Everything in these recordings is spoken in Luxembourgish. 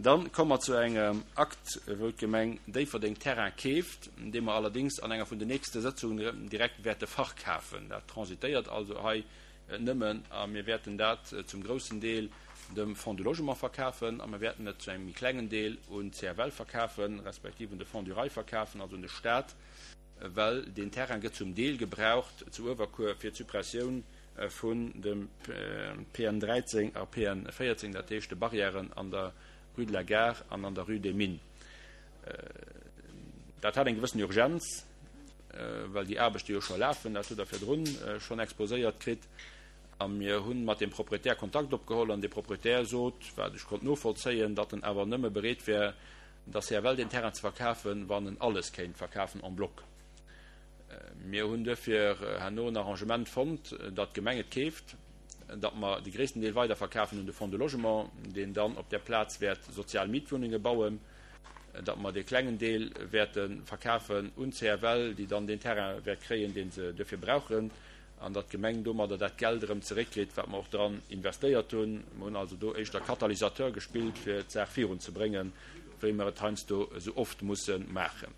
Dann komme mer zu engem Akt, wou d'Gemeng Déifferdeng Terrain keeft, dee mer allerdéngs an enger vun den nächste Sëtzungen direkt wäerte verkafen. Dat transitéiert also hei nëmmen a mir wäerten dat zum groussen Deel dem Fonds du Logement verkafen a mir wäerten et zu engem méi klengen Deel un d'CFL verkafen, respektiv un de Fonds du Rail verkafen, also un de Stat, well deen Terrain gëtt zum Deel gebraucht zu Uewerkuer fir d'Suppressioun vun dem PN 13 a PN 14, dat heescht de Barrièren an der Rue de la Gare an an der Rue des Mines. Dat hat eng gewëssen Urgenz, well déi Aarbechte jo scho lafen, dat hutt Der virdrun schonn exposéiert kritt. A mir hu mat dem Proprietär Kontakt opgeholl an dee Proprietär sot, wat ech konnt novollzéien, datt en awer nëmme bereet wär, der CFL deen Terrain ze verkafen, wann en alles kéint verkafen en bloc. Mir hunn duerfir herno en Arrangement fonnt, datt d'Gemeng et keeft, datt mer de gréissten Deel weiderverkafen un de Fonds de Logement, deen dann op där Plaz wäert sozial Mietwunnenge bauen, datt mer dee klengen Deel wäerte verkafen un d'CFL, déi dann deen Terrain wäert kréien, dee se duerfir brauchen, an datt d'Gemeng domadder dat Geld erëm zeréckkritt, wat mer och dran investéiert hunn. Mer hunn also do éischter Katalysateur gespillt, fir d'Saach virunzebréngen, wéi mer et heiansdo esou oft musse maachen.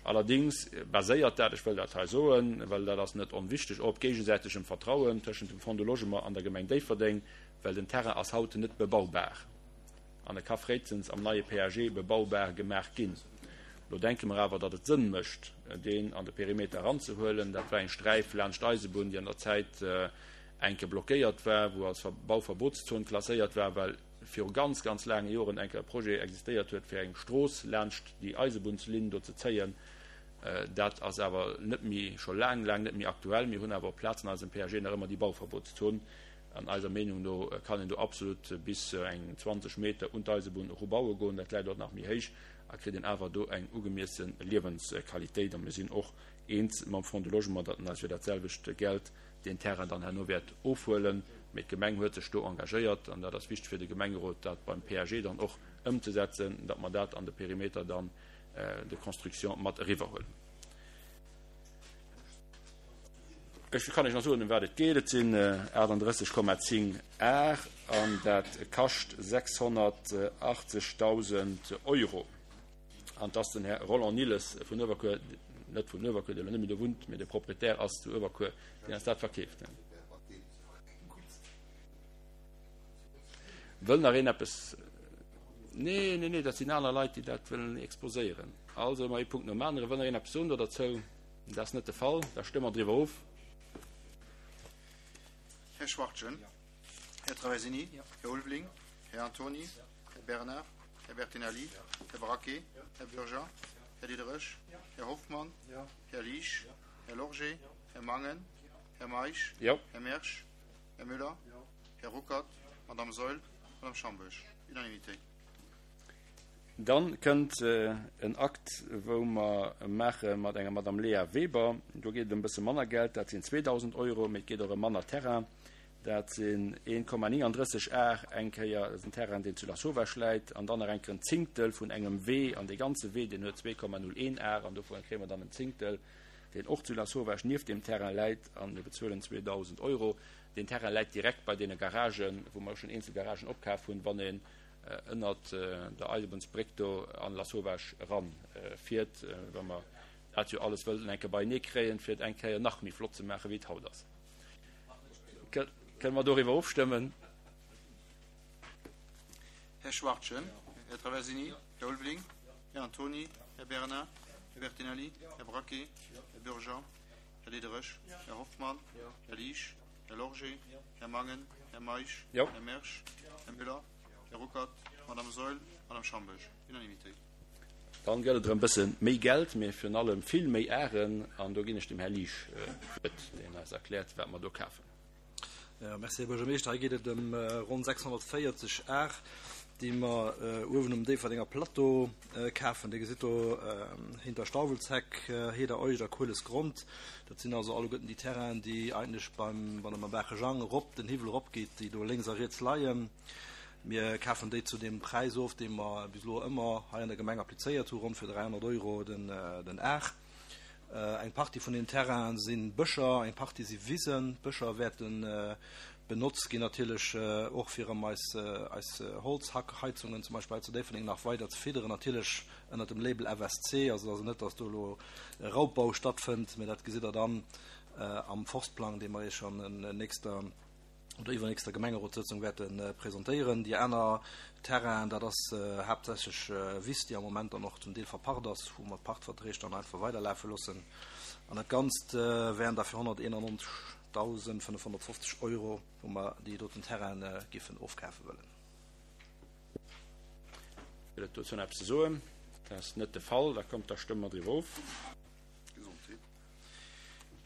Allerdéngs baséiert dat, ech wëll dat hei soen, well dat ass net onwichteg, och op géigesäitegem Vertrauen tëschent dem Fonds du Logement an der Gemeng Déifferdeng, well den Terrain ass haut net bebaubar an e ka fréistens am neie PAG bebaubar gemaach ginn. Lo denke mer awer, datt et Sënn mécht, deen an de Perimeter eranzehuelen. Dat war eng Sträif laanscht d'Eisebunn, déi an der Zäit enke blockéiert war, wou als Bauverbotszon klasséiert war, well viru ganz, ganz laange Joren enke e Projet existéiert huet, fir eng Strooss laanscht déi Eisebunnslinn do ze zéien. Dat ass awer net méi, scho laang, laang net méi aktuell. Mir hunn awer op Plazen an eisem PAG nach ëmmer déi Bauverbotszon. An eiser Meenung no kann een do absolut bis eng 20 Meter un d'Eisebunn erubaue goen. Dat läit och nach méi héich a kritt een awer do eng ugemiessen Liewensqualitéit. A mir sinn och eens mam Fonds du Logement, datt en eis fir dat selwecht Geld deen Terrain dann herno wäert ofhuelen. Mee d'Gemeng huet sech do engagéiert, an dat ass wichteg fir de Gemengerot, dat beim PAG dann och ëmzesetzen, datt mer dat an de Perimeter dann de construction mat eriwwerhuelen. Ech kann Iech nach soen, ëm wat et geet. Et sinn 38,10 Ar an dat kascht 680.000 Euro. An et ass den Här Roland Nilles vun Uewerkuer, net vun Uewerkuer, dee elo net méi do wunnt, mee de Proprietär ass zu Uewerkuer, deen eis dat verkeeft. Wëll nach een eppes? Nee, nee, nee, dat sinn aner Leit, déi dat wëllen exposéieren. Also, ëmmer ee Punkt nom aneren. Wëll nach een eppes soen do derzou? Dat ass net de Fall. Da stëmme mer driwwer of. Här Schwachtgen, Här Traversini, Här Ulveling, Här Antony, Här Bernard, Här Bertinelli, Här Braquet, Här Bürger, Här Diderich, Här Hoffmann, Här Liesch, Här Lorgé, Här Mangen, Här Meisch, Här Mersch, Här Müller, Här Ruckert, Madame Saeul, Madame Schambourg. Unanimité. Dann kënnt en Akt, wou mer maache mat enger Madame Léa Weber. Do geet et ëm e bësse manner Geld, dat sinn 2.000 Euro, mee et geet och ëm manner Terrain. Dat sinn 1,39 Ar eng Kéier, dat ass en Terrain, deen zu Lasauvage läit, an dann nach eng Kéier en Zéngtel vun engem Wee. An dee ganze Wee, deen huet 2,01 Ar, an dovun kréie mer dann en Zéngtel, deen och zu Lasauvage nieft deem Terrain läit, a mir bezuelen 2.000 Euro. Deen Terrain läit direkt bei deene Garagen, wou mer schonn eenzel Garagen opkaf hunn, wann een ënnert der Eisebunnsbréck do an Lasauvage eran fiert, well mer dat jo alles wëllen eng Kéier beienee kréien, fir et eng Kéier nach méi flott ze maachen, wéi et haut ass. Kënne mer doriwwer ofstëmmen? Här Schwachtgen, Här Traversini, Här Ulveling, Här Antony, Här Bernard, Här Bertinelli, Här Braquet, Här Bürger, Här Diderich, Här Hoffmann, Här Liesch, Här Lorgé, Här Mangen, Här Meisch, Här Mersch, Här Müller, Här Ruckert, Madame Saeul, Madame Schambourg. Unanimité. Dann gëtt et erëm bësse méi Geld, mee virun allem vill méi Aren. An do ginn ech dem Här Liesch d'Wuert, deen eis erkläert, wat mer do kafen. Jo, merci, Här Buergermeeschter. Hei geet et ëm ronn 640 Ar, déi mer uewen um Déifferdenger Plateau kafen. Dir gesitt do hinter Stauwelsheck, Heder Euged a Kuelesgrond. Dat sinn also alleguerten déi Terrainen, déi eigentlech beim, wann Der mam Baache Jang erop den Hiwwel eropgeet, déi do lénks a riets leien. Mir kafen déi zu deem Präis of, dee mer bis elo ëmmer hei an der Gemeng applizéiert hu, ronn fir 300 Euro den Ar. Eng Partie vun den Terrainen si Bëscher, eng Partie si Wisen. D'Bëscher wäerten. Benotzt ginn natierlech och fir erëm eis eis Holzhackheizungen zum Beispill hei zu Déifferdeng nach weider ze fidderen, natierlech ënnert dem Label FSC, also et ass net, datt do elo e Raubbau stattfënnt, mä dat gesitt Der dann am Forstplang, dee mer Iech an nächster oder iwwernächster Gemengerotssëtzung wäerte presentéieren. Déi aner Terrainen, dat ass haaptsächlech Wiss, déi am Moment dann och zum Deel verpacht ass, wou mer d'Pachtverträg dann einfach weiderlafe loossen. An dat Ganzt wären da fir 191.550 Euro, wou mer déi doten Terraine giffen ofkafe wëllen. Gëtt et dozou nach eppes ze soen? Dat ass net de Fall. Da kommt, da stëmme mer driwwer of. Gesondheet.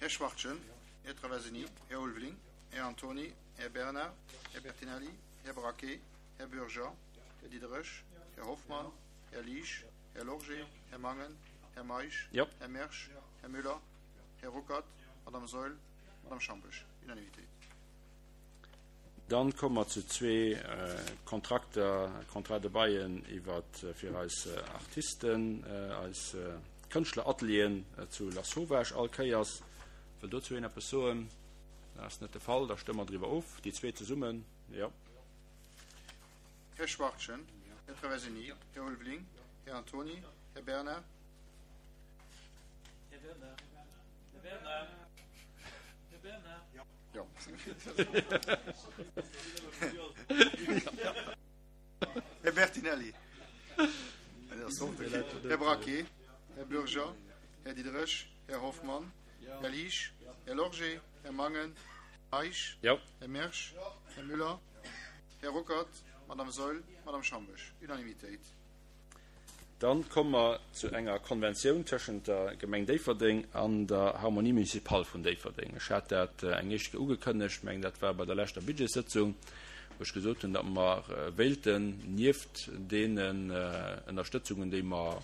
Här Schwachtgen, Här Traversini, Här Ulveling, Här Antony, Här Bernard, Här Bertinelli, Här Braquet, Här Bürger, Här Diderich, Här Hoffmann, Här Liesch, Här Lorgé, Här Mangen, Här Meisch, Här Mersch, Här Müller, Här Ruckert, Madame Saeul, Madame Schambesch. Unanimitéit. Dann komme mer zu zwee Kontrakter, Contrats de baillen iwwer fir eis Artisten, eis Kënschtleratelieren zu Lasauvage all Kéiers. Wëll dozou een eppes soen? Dat ass net de Fall. Da stëmme mer driwwer of, déi zwee zesummen. Jo. Här Schwachtgen, Här Traversini, Här Ulveling, Här Antony, Här Bernard. Här Bernard. Här Bernard. Här Bernard. Jo. Här Bertinelli. Här Braquet, Här Bürger, Här Diderich, Här Hoffmann, Här Liesch, Här Lorgé, Här Mangen, Här Meisch, Här Mersch, Här Müller, Här Ruckert, Madame Saeul, Madame Schambesch. Unanimitéit. Dann komme mer zu enger Konventioun tëschent der Gemeng Déifferdeng an der Harmonie municipale vun Déifferdeng. Ech hat dat eng éischt Kéier ugekënnegt, ech mengen dat war bei der leschter Budgetssëtzung, wou ech gesot hunn, datt mer wéilten nieft deenen Ënnerstëtzungen, déi mer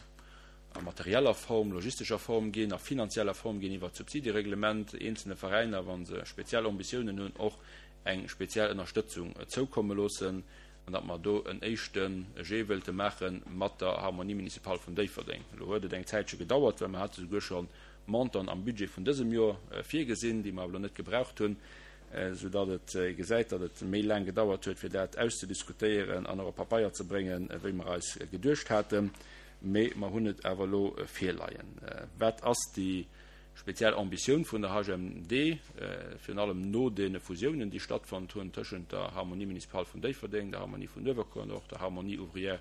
a materieller Form, logistescher Form ginn, a finanzieller Form ginn iwwert d'Subsidiereglement, eenzelne Veräiner, wa se speziell Ambitiounen hunn, och eng speziell Ënnerstëtzung zoukomme loossen. an datt mer do en éischte Jet wëilte maache mat der Harmonie municipale vun Déifferdeng. Elo huet et eng Zäitche gedauert, well mer hate souguer scho Montanten am Budget vun dësem Joer virgesinn, déi mer awer elo net gebraucht hunn, soudatt et ee gesäit, datt et méi laang gedauert huet, fir dat auszediskutéieren an och op Papeier ze bréngen, wéi mer eis geduecht haten. Mee mer hunn et awer elo virleien. Wat ass déi Speziell Ambitioun vun der HMD, virun allem no deene Fusiounen, déi stattfonnt hunn tëschent der Harmonie municipale vun Déifferdeng, der Harmonie vun Uewerkuer an och der Harmonie ouvrière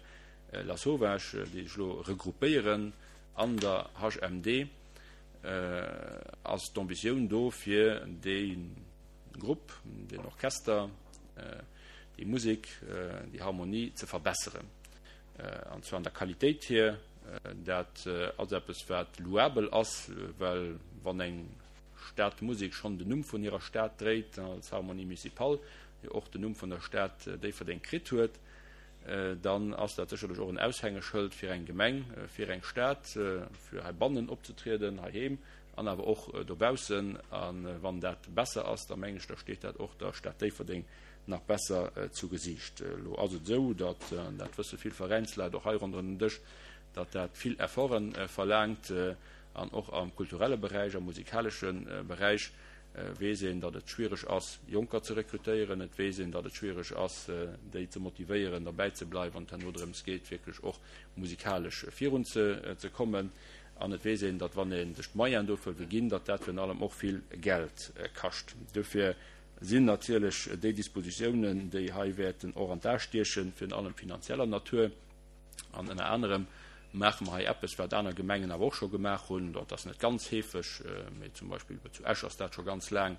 Lasauvage, déi sech elo regroupéieren an der HMD, ass d'Ambitioun do, fir dee Grupp, deen Orchester, déi Musek, déi Harmonie ze verbesseren. An zwar an der Qualitéit hier. Dat ass eppes, wat louabel ass, well wann eng Stadmusek schonn den Numm vun hirer Stad dréit, als Harmonie municipale jo och den Numm vun der Stad Déifferdeng kritt huet, dann ass dat sécherlech och en Aushängeschëld fir eng Gemeng, fir eng Stad, fir heibannen opzetrieden, heiheem an awer och dobaussen. A wann dat besser ass, da mengen ech, da steet dat och der Stad Déifferdeng nach besser zu Gesiicht. Elo ass et esou, datt, an dat wësse vill Veräinsleit och hei ronderëm den Dësch, datt dat vill Efforte verlaangt an och am kulturelle Beräich, am musikalesche Beräich weess een, datt et schwiereg ass, Jonker ze rekrutéieren. Et weess een, datt et schwiereg ass, déi ze motivéieren, derbäi ze bleiwen, wann et herno drëms geet, wierklech och musikalesch virun ze kommen. An et weess een, datt wann ee sech d'Moyenen dofir wëll ginn, datt dat virun allem och vill Geld kascht. Dofir sinn natierlech déi Dispositiounen, déi hei wäerten och an d'A stiechen, virun allem finanzieller Natur. An ënner anerem maache mer hei eppes, wat aner Gemengen awer och scho gemaach hunn. Dat ass net ganz heefeg, mee zum Beispill zu Esch ass dat scho ganz laang,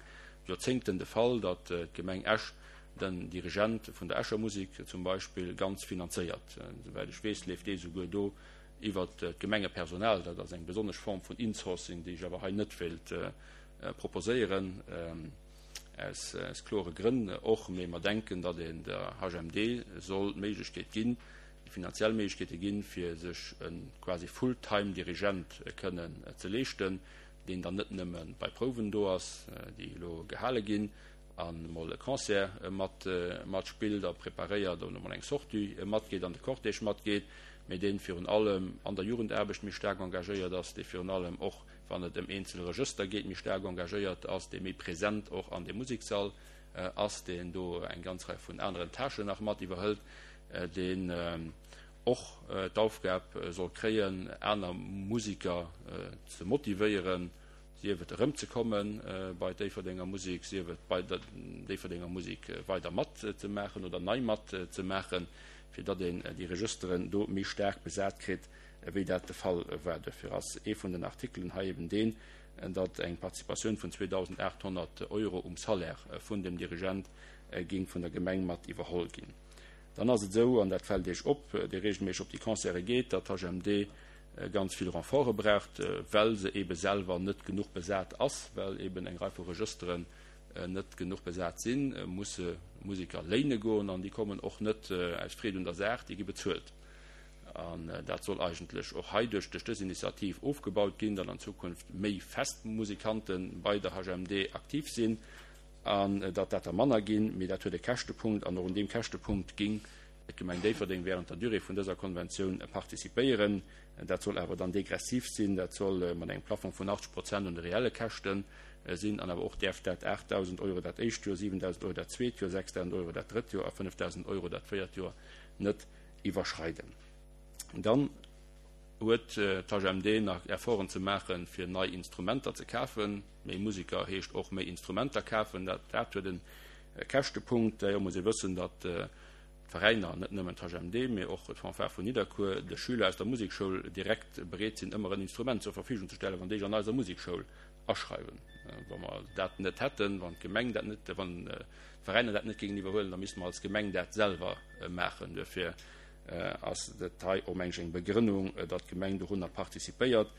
Joerzéngten de Fall, datt d'Gemeng Esch den Dirigent vun der Escher Musek zum Beispill ganz finanzéiert. Souwäit ech weess, leeft dee souguer do iwwert d'Gemengepersonal. Dat ass eng besonnesch Form vun Insourcing, déi ech awer hei net wéilt proposéieren, aus klore Grënn och, mee mer denken, datt een der HMD soll d'Méiglechkeet ginn, déi finanziell Méiglechkeete ginn, fir sech e quasi Full-time-Dirigent kënnen ze leeschten, deen dann net nëmme bei Prouwen do ass, déi elo gehale ginn, a mol e Concert mat matspillt a preparéiert oder mol eng Sortie matgeet an de Cortège matgeet, mee dee virun allem an der Jugendaarbecht méi staark engagéiert ass, dee virun allem och wann et ëm eenzel Regëster geet, méi staark engagéiert ass, dee méi present och an deem Musekssall. ass, deen do eng ganz Rei vun aneren Tâchen nach mat iwwerhëlt, deen och d'Aufgab soll kréien, aner Musiker ze motivéieren, sief et erëmzekomme bei d'Déifferdenger Musek, sief et bei der Déifferdenger Musek weider matzemaachen oder nei matzemaachen, fir datt een déi Regësteren do méi staark besat kritt, wéi dat de Fall war. Duerfir ass ee vun den Artikelen hei eben deen, datt eng Participatioun vun 2.800 Euro um Salaire vun dem Dirigent géing vun der Gemeng mat iwwerholl ginn. Dann ass et esou, an dat fält Iech op, dee regelméisseg op déi Concerte geet, datt d'HMD ganz vill Renforte braucht, well se eebe selwer net genuch besat ass, well eeben eng Rei vu Regësteren net genuch besat sinn, musse Museker léine goen an déi kommen och net aus Freed un der Saach, déi gi bezuelt. An dat soll eigentlech och hei duerch dës Initiativ ofgebaut ginn, datt an Zukunft méi fest Musikante bei der HMD aktiv sinn an datt dat der manner ginn. Mee dat huet e Käschtepunkt an och un deem Käschtepunkt géing d'Gemeng Déifferdeng während der Durée vun dëser Konventioun participéieren. Dat soll awer dann degressiv sinn, dat soll mat engem Plafong vun 80 Prozent un de reelle Käschte sinn an awer och däerf dat 8.000 Euro dat éischt Joer, 7.000 Euro dat zweet Joer, 6.000 Euro dat drëtt Joer a 5.000 Euro dat véiert Joer net iwwerschreiden. Dann huet d'HMD nach Efforten ze maachen, fir nei Instrumenter ze kafen. Méi Museker heescht och méi Instrumenter kafen. Dat huet e Käschtepunkt. D'ailleurs muss ee wëssen, datt d'Veräiner, net nëmmen d'HMD, mee och d'Fanfare vun Nidderkuer, de Schüler aus der Musekschoul direkt bereet sinn, ëmmer en Instrument zur Verfügung ze stellen, wann déi sech an eiser Musekschoul aschreiwen. Wa mer dat net hätten, wann d'Gemeng dat net, wann d'Veräiner dat net géingen iwwerhuelen, da misste mer als Gemeng dat selwer maachen. Duerfir ass dat hei och, meng ech, eng Begrënnung, datt d'Gemeng dorunner participéiert,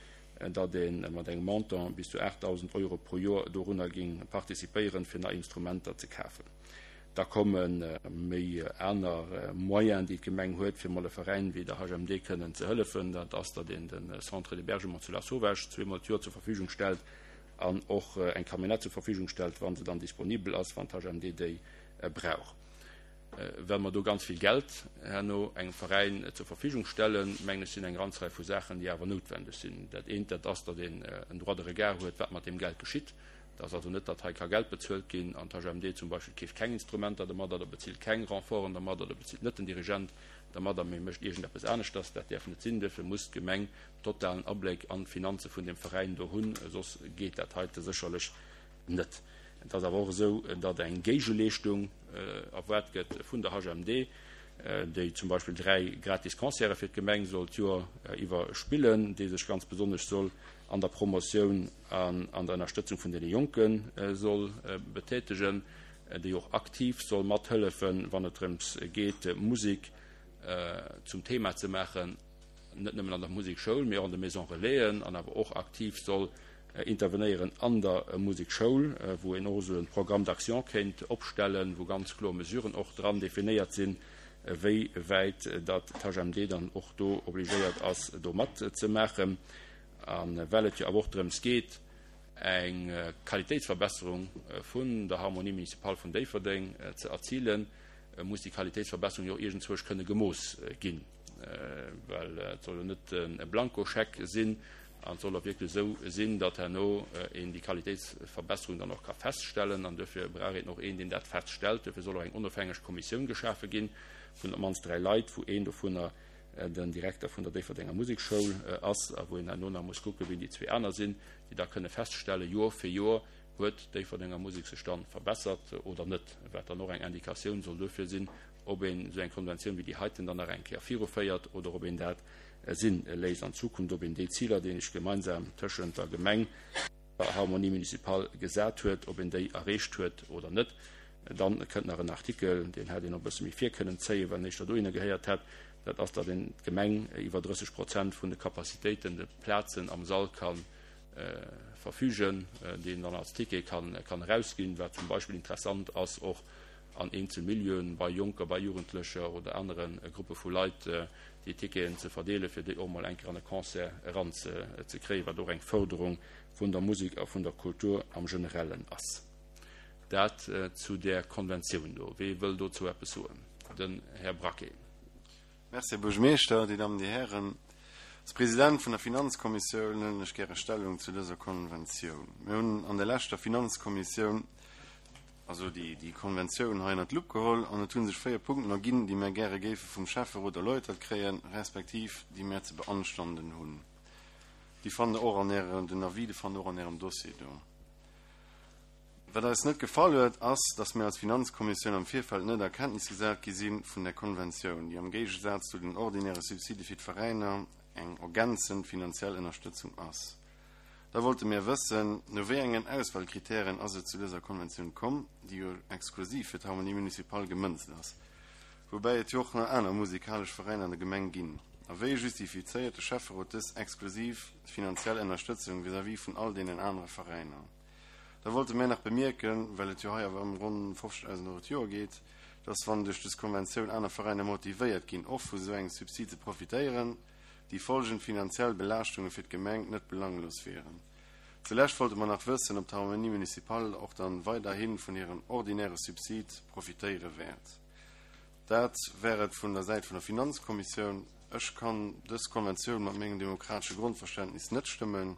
datt ee mat engem Montant bis zu 8.000 Euro pro Joer dorunner géing participéieren, fir nei Instrumenter ze kafen. Da komme méi aner Moyenen, déi d'Gemeng huet, fir mol e Veräin wéi der HMD kënnen ze hëllefen. Dat ass, datt een de Centre d'hébergement zu Lasauvage zweemol d'Joer zur Verfügung stellt an och eng Camionnette zur Verfügung stellt, wa se dann disponibel ass, wann d'HMD déi brauch. Well mer do ganz vill Geld herno engem Veräin zur Verfügung stellen, mengen ech, sinn eng ganz Rei vu Saachen, déi awer noutwendeg sinn. Dat eent, dat ass, datt een en Droit de regard huet, wat mat deem Geld geschitt. Et ass also net, datt hei ka Geld bezuelt ginn an d'HMD zum Beispill keeft keng Instrumenter dermat oder bezilt keng Renforten dermat oder bezilt net den Dirigent dermadder, mee mécht iergendeppes aneschters. Dat däerf net sinn. Duerfir muss d'Gemeng totalen Abléck an d'Finanze vun deem Veräin do hunn, soss geet dat heite sécherlech net. Et ass awer och esou, datt eng Géigeleeschtung erwaart gëtt vun der HMD, déi zum Beispill 3 gratis Concerte fir d'Gemeng soll d'Joer iwwer spillen, déi sech ganz besonnesch soll an der Promotioun an an der Ënnerstëtzung vun deene Jonke soll betätegen, déi och aktiv soll mathëllefen, wann et drëms geet, Musek zum Thema ze maachen, net nëmmen an der Musekschoul, mee och an de Maisons Relaisen, an awer och aktiv soll intervenéieren an der Musekschoul, wou een och esou e Programme d'action kéint opstellen, wou ganz kloer Mesuren och dran definéiert sinn, wéi wäit datt d'HMD dann och do obligéiert ass, do matzemaachen. A well et jo awer och drëms geet, eng Qualitéitsverbesserung vun der Harmonie municipale vun Déifferdeng ze erzilen, muss déi Qualitéitsverbesserung jo och iergendzwousch kënne gemooss ginn, well et soll jo net e Blankoscheck sinn an et soll och wierklech esou sinn, datt herno een déi Qualitéitsverbesserung dann och ka feststellen. An duerfir brauch een och een, deen dat feststellt. Duerfir soll och eng onofhängeg Kommissioun geschafe gi vun op d'mannst 3 Leit, wou een dovunner den Direkter vun der Déifferdenger Musekschoul ass a wou een herno nach muss kucken, wien déi zwee aner sinn, déi da kënne feststellen, Joer fir Joer, huet d'Déifferdenger Musek sech dann verbessert oder net, wat dann och eng Indikatioun soll duerfir sinn, ob een esou eng Konventioun wéi déi heiten dann nach eng Kéier viruféiert oder ob een dat si léisst an Zukunft, ob een déi Ziler, déi een sech gemeinsam tëschent der Gemeng, der Harmonie municipale gesat huet, ob een déi erreecht huet oder net. Dann kënnt nach en Artikel, deen hätt een och e bësse méi vir kënnen zéien, wann éischter dohinner gehéiert hätt, dat ass, datt een d'Gemeng iwwer 30 Prozent vun de Capacitéiten, de Plazen am Sall ka verfügen, déi een dann als Ticket kann erausginn, wat zum Beispill interessant ass och an eenzel Milieuen, bei Jonker, bei Jugendlecher oder anere Gruppe vu Leit, déi Ticketen ze verdeelen, fir déi och mol eng Kéier an e Concert eranzekréien, wat och eng Förderung vun der Musek a vun der Kultur am Generellen ass. Dat zu där Konventioun do. Wee wëll dozou eppes soen? Den Här Braquet. Merci, Här Buergermeeschter, Dir Dammen, Dir Hären. Als President vun der Finanzkommissioun huelen ech gäre Stellung zu dëser Konventioun. Mir hunn an der leschter Finanzkommissioun. also déi, déi Konventioun hei ënnert d'Lupp geholl an et hu sech 4 Punkten erginn, déi mär gäre géife vum Schäfferot erläutert kréien, respektiv déi mär ze beanstanden hunn. Déi fannt Der och an Ärem, den Avis, de fannt Der och an Ärem Dossier do. Wat eis net gefall huet, ass, dass mir als Finanzkommissioun am Virfeld net a Kenntnis gesat gi si vun där Konventioun, déi am Géigesaz zu den ordinäre Subside fir d'Veräiner eng ergänzend finanziell Ënnerstëtzung ass. Da wollte mir wëssen, no wéi engen Auswahlkritären ass et zu dëser Konventioun komm, déi jo exklusiv fir d'Harmonie municipale gemënzt ass, woubäi et jo och nach aner musikalesch Veräiner an der Gemeng ginn. A wéi justifizéiert de Schäfferot dës exklusiv finanziell Ënnerstëtzung vis-à-vis vun all deenen anere Veräiner? Da wollte mir nach bemierken, well et jo hei awer ëm ronn 50.000 Euro d'Joer geet, dass, wann duerch dës Konventioun aner Veräiner motivéiert ginn, och vu sou engem Subsid ze profitéieren, déi folgend finanziell Belaaschtunge fir d'Gemeng net belanglos wieren. Zulescht wollte mer nach wëssen, ob d'Harmonie municipale och dann weiderhi vun hirem ordinäre Subsid profitéiere wäert. Dat wär et vun der Säit vun der Finanzkommissioun. Ech kann dës Konventioun mat mengem demokratesche Grondverständnis net stëmmen.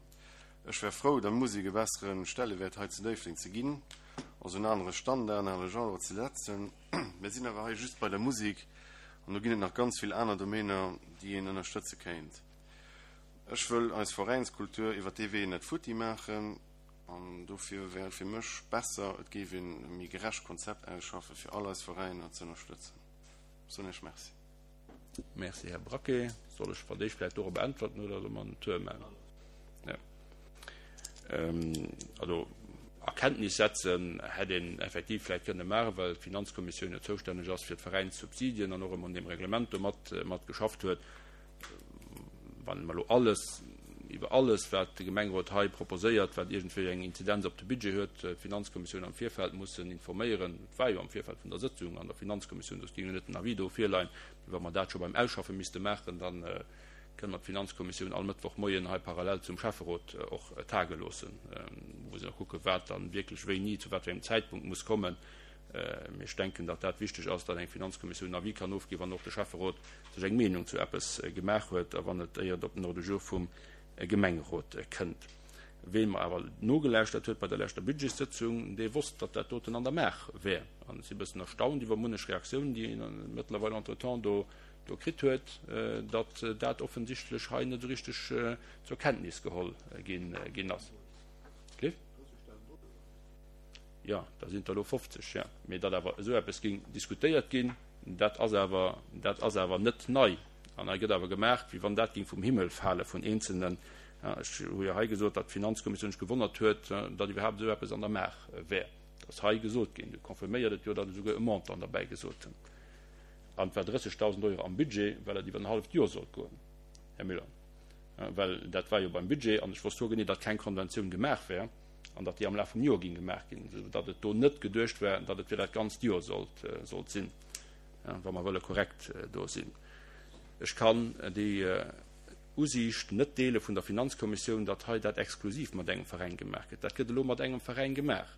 Ech wär frou, der Musek e bessere Stellewäert hei zu Déifferdeng ze ginn, also en anere Standard, en anere Genre ze setzen. Mir sinn awer hei just bei der Musek an do ginn et nach ganz vill aner Domainer, déi een ënnerstëtze kéint. Ech wëll eis Veräinskultur iwwer dee Wee net futti maachen an dofir wär et fir mech besser, et géif een e méi gerecht Konzept ausschaffe fir all eis Veräiner ze ënnerstëtzen. Soen Iech Merci. Merci, Här Braquet. Soll ech fir d'éischt vläicht dorop äntwerten oder solle mer en Tour maachen? Ja. Also a Kenntnis setzen hätt een effektiv vläicht kënne maachen, well d'Finanzkommissioun jo zoustänneg ass fir d'Veräinssubsidien an och ëmmer un deem Reglement do mat, mat geschafft huet. Wann mer elo alles, iwwer alles, wat de Gemengerot hei proposéiert, wat iergendwéi eng Inzidenz op de Budget huet, d'Finanzkommissioun am Virfeld mussen informéieren, et war jo am Virfeld vun der Sëtzung an der Finanzkommissioun, soss géing jo net den Avis do virleien, mee wa mer dat scho beim Ausschaffe misste maachen, dann, kënne mer d'Finanzkommissioun all Mëttwochmoien hei parallel zum Schäfferot och tage loossen, wou se da kucken, wat dann wierklech wéini, zu wat fir engem Zäitpunkt muss kommen. Mee ech denken, datt dat wichteg ass, datt eng Finanzkommissioun en Avis kann ofginn, wann och de Schäfferot sech eng Meenung zu eppes gemaach huet a wann et éier et op den Ordre du jour vum Gemengerot kënnt. Ween mer awer nogelauschtert huet bei der leschter Budgetssëtzung, dee wosst, datt dat doten an der Maach wär. An ech si e bëssen erstaunt iwwer munnech Reaktiounen, déi een mëttlerweil entretemps do do kritt huet, datt dat offensichtlech hei net esou richteg zur Kenntnis geholl ginn ass. Cliff? Jo, da sinn et der elo 50, jo. Mee datt awer esou eppes géing diskutéiert ginn, dat ass awer, dat ass awer net nei. An hei gëtt awer gemaach, wéi wann dat géing vum Himmel fale vun Eenzelnen. Ech hu jo hei gesot, datt d'Finanzkommissioun sech gewonnert huet, datt iwwerhaapt esou eppes an der Maach wär. Dat ass hei gesot ginn. Du confirméiert et jo, datt ech esouguer e Montant derbäi gesot hunn. An et war 30.000 Euro am Budget, well et iwwer en halleft Joer sollt goen, Här Müller. Well dat war jo beim Budget, an ech wosst hoergenee, datt keng Konventioun gemaach wär an datt déi am Laf vum Joer géing gemaach ginn, esou datt et do net geduecht war, datt et fir dat ganzt Joer sollt, sollt sinn, wa mer wëlle korrekt do sinn. Ech kann déi Usiicht net deele vun der Finanzkommissioun, datt hei dat exklusiv mat engem Veräin gemaach gëtt. Dat gëtt elo mat engem Veräin gemaach.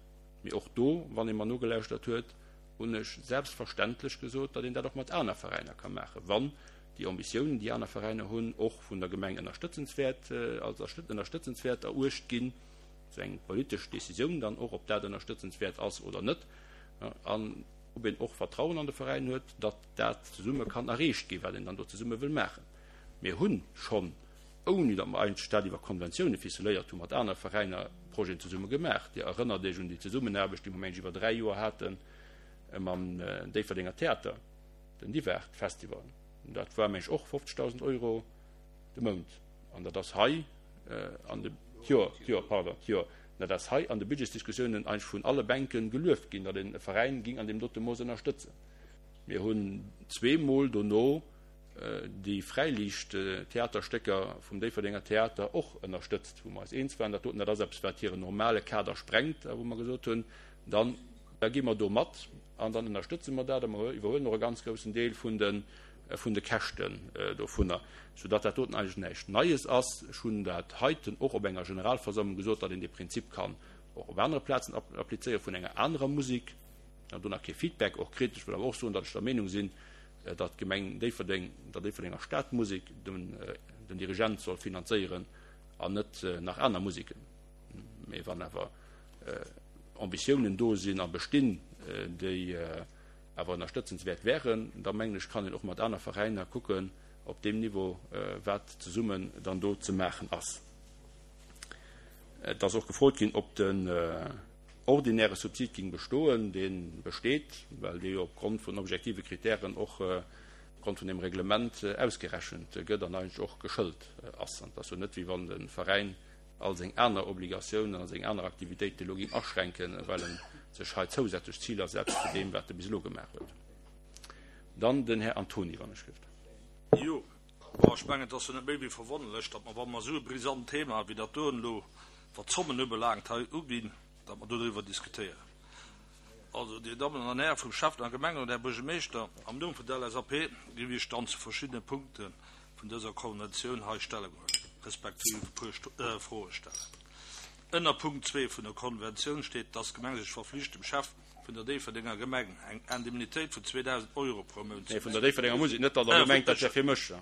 Mee och do, wann ee mer nogelauschtert huet, hunn ech selbstverständlech gesot, datt een dat och mat aner Veräiner ka maachen, wann déi Ambitiounen, déi aner Veräiner hunn, och vun der Gemeng ënnerstëtzenswäert, als ënnerstëtzenswäert eruecht ginn, esou eng politesch Décisioun dann och, ob dat ënnerstëtzenswäert ass oder net, an ob een och Vertrauen an de Veräin huet, datt dat zesumme kann erreecht ginn, wat een dann do zesumme wëll maachen. Mir hu schonn, ouni datt mer eigentlech dat iwwer Konventioune ficeléiert hunn, mat anere Veräiner Projeten zesumme gemaach. Dir erënnert Iech un déi Zesummenaarbecht, déi mer, meng ech, iwwer 3 Joer hate mam Déifferdenger Theater, den Divart Festival. Dat war, meng ech, och 50.000 Euro de Mount. An dat ass hei an de, d'Joer, d'Joer, pardon, d'Joer. Dat ass hei an de Budgetsdiskussiounen eigentlech vun alle Bänke gelueft ginn, datt een e Veräin ging an deem dote Mooss ënnerstëtzen. Mir hunn zweemol dono déi Fräiliicht-Theaterstécker vum Déifferdenger Theater och ënnerstëtzt, wou mer eis eens waren, dat doten, dat ass eppes, wat hiren normale Kader sprengt, a wou mer gesot hunn, dann, da gi mer do mat an dann ënnerstëtze mer dat a mer iwwerhuelen och e ganz groussen Deel vun de, vun de Käschten dovunner, soudatt dat doten eigentlech näischt Neies ass. Ech hunn dat heiten och op enger Generalversammlung gesot, datt een dee Prinzip kann och op anere Plazen applizéieren, vun enger anerer Musek. An do nach kee Feedback och kritt. Ech wëll awer och soen, datt ech der Meenung sinn, datt d'Gemeng Déifferdeng der Déifferdenger Stadmusek den Dirigent soll finanzéieren an net nach aner Museken. Mee wann awer. Ambitiounen do sinn a bestinn, déi awer ënnerstëtzenswäert wären, da mengen ech, kann een och mat aner Veräiner kucken op deem Niveau, wat zesummen dann do ze maachen ass. Et ass och gefrot ginn, ob den ordinäre Subsid ging bestoen. Dee besteet, well dee jo opgrond vun objektive Kritären och opgrond vun dem Reglement ausgerechent gëtt an eigentlech och geschëlt ass. An et ass jo net, wéi wann de Veräin all seng aner Obligatiounen a seng aner Aktivitéiten elo géing aschränken, well e sech hei zousätzlech Ziler setzt zu deem, wat e bis elo gemaach huet. Dann den Här Antoni, wann ech gëft. Jo, bon, ech mengen, et ass jo net méi wéi verwonnerlech, datt mer, wa mer esou e brisant Thema wéi dat doen elo, wat d'Zommen ubelaangt, hei uginn, datt mer dodriwwer diskutéieren. Also, Dir Dammen an Häre vum Schäffen a Gemengerot, Här Buergermeeschter, am Numm vun der LSAP géif ech dann zu verschiddene Punkte vun dëser Konventioun hei Stellung huelen, respektiv e puer Froe stellen. Ënner Punkt zwee vun der Konventioun steet, dass d'Gemeng sech verflicht, dem Chef vun der Déifferdenger Gemeng eng Indemnitéit vun 2.000 Euro pro Mount ze Nee, vun der Déifferdenger Musek, net datt Der elo mengt, dat wär fir mech.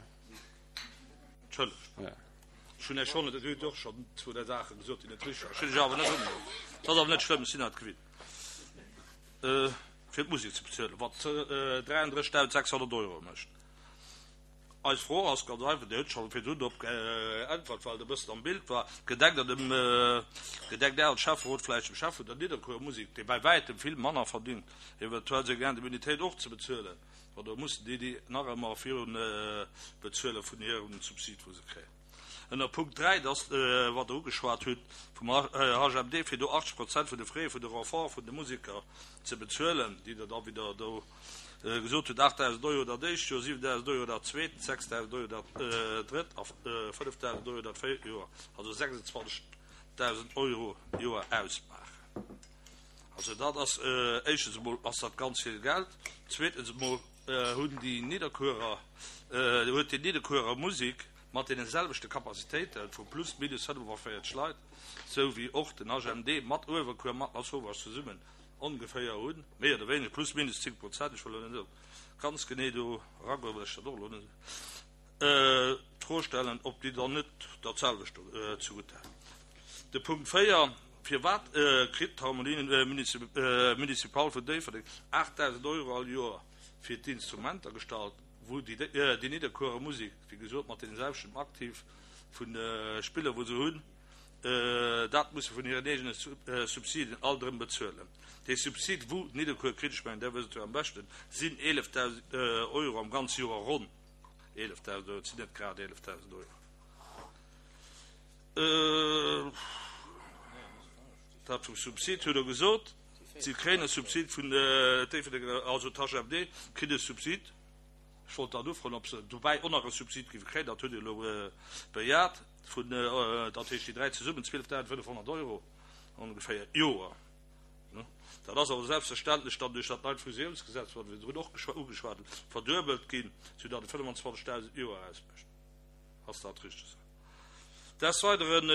Entschëllegt, ech hunn Iech schonn, Dir hutt och schonn zwou, dräi Saache gesot, déi net richteg waren. Ech hunn Iech awer net ugeholl. Dat ass awer net schlëmm, ech sinn dat gewinnt. Fir d'Musek ze bezuelen, wat 33.600 Euro mécht. Eis Fro ass ganz einfach, Dir hutt scho virdrun drop geäntwert, well et e bëssen am Bild war, Gedenkt Der dem, gedenkt Är als Schäfferot vläicht dem Chef vun der Nidderkuerer Musek, dee bäi wäitem vill manner verdingt, eventuell seng Indemnitéit och ze bezuelen, oder mussen déi déi nach ëmmer virun bezuele vun hirem Subsid, wou se kréien? Ënner Punkt 3, dat ass, wat Der ugeschwat hutt, vum HMD, fir do 80 Prozent vun de Frais vun de Renforte vun de Museker ze bezuelen, déi Der da wieder do gesot hutt, 8.000 Euro dat éischt Joer, 7.000 Euro dat zweet, 6.000 Euro dat drëtt a 5.000 Euro dat véiert Joer, also 26.000 Euro Joer ausmaachen. Also dat ass, éischtens emol ass dat ganz vill Geld, zweetens emol hunn déi Nidderkuerer, huet déi Nidderkuerer Musek mat deene selwechte Capacitéite vu plus minus 45 Leit, esou wéi och den HMD mat Uewerkuer, mat Lasauvage zesummen, ongeféier hunn, méi oder wéineger, plus minus 10 Prozent, ech wëll elo net ganz genee do eragoen, well ech dat och elo net, d'Fro stellen, ob déi dann net dat selwecht do zegutt hätten. De Punkt 4, Firwat kritt d'Harmonie municipale vun Déifferdeng 8.000 Euro all Joer fir d'Instrumenter gestallt, wou déi Nidderkuerer Musek, wéi gesot, mat deene selwechten Aktiv vu Spiller, wou se hunn, Dat muss se vun hiren eegene Subsiden alt erëm bezuelen. Dee Subsid, wou Nidderkuer kritt, ech mengen, Der wësst et jo am beschten, sinn 11.000 Euro am ganze Joer, ronn 11.000 Euro, et sinn net grad 11.000 Euro. Dat vum Subsid hutt Der gesot. Si kréien e Subsid vun Déifferdeng, also d'HMD kritt e Subsid. Ech wollt dann ufroen, ob se dobäi och nach e Subsid géife kréien. Dat hutt Dir elo bejat. Vun, dat heescht déi dräi zesummen, 12.500 Euro ongeféier d'Joer. Dat ass awer selbstverständlech dann duerch dat neit Fusiounsgesetz, wat ech virdrun och ugeschwat hunn, verduebelt ginn, soudatt et 25.000 d'Joer ausmécht. Ass dat richteg esou? Desweideren,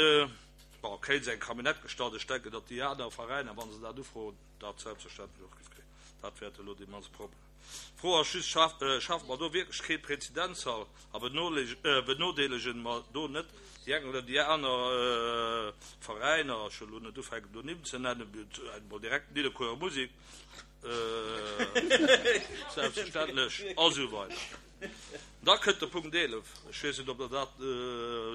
bon, kréie se eng Camionnette gestallt. Ech denken, datt déi aner Veräiner, wa se dat ufroen, dat selbstverständlech och géif kréien. Dat wäert elo dee mannste Problem. D'Fro ass just, Schafe mer do wierklech kee Prezedenzfall a benodeelegen mer do net déi eng oder déi aner Veräiner, ech wëll elo net ufänken do Nimm ze nennen, emol direkt d'Nidderkuerer Musek selbstverständlech, a sou weider. Da kënnt de Punkt 11, ech weess net, ob Der dat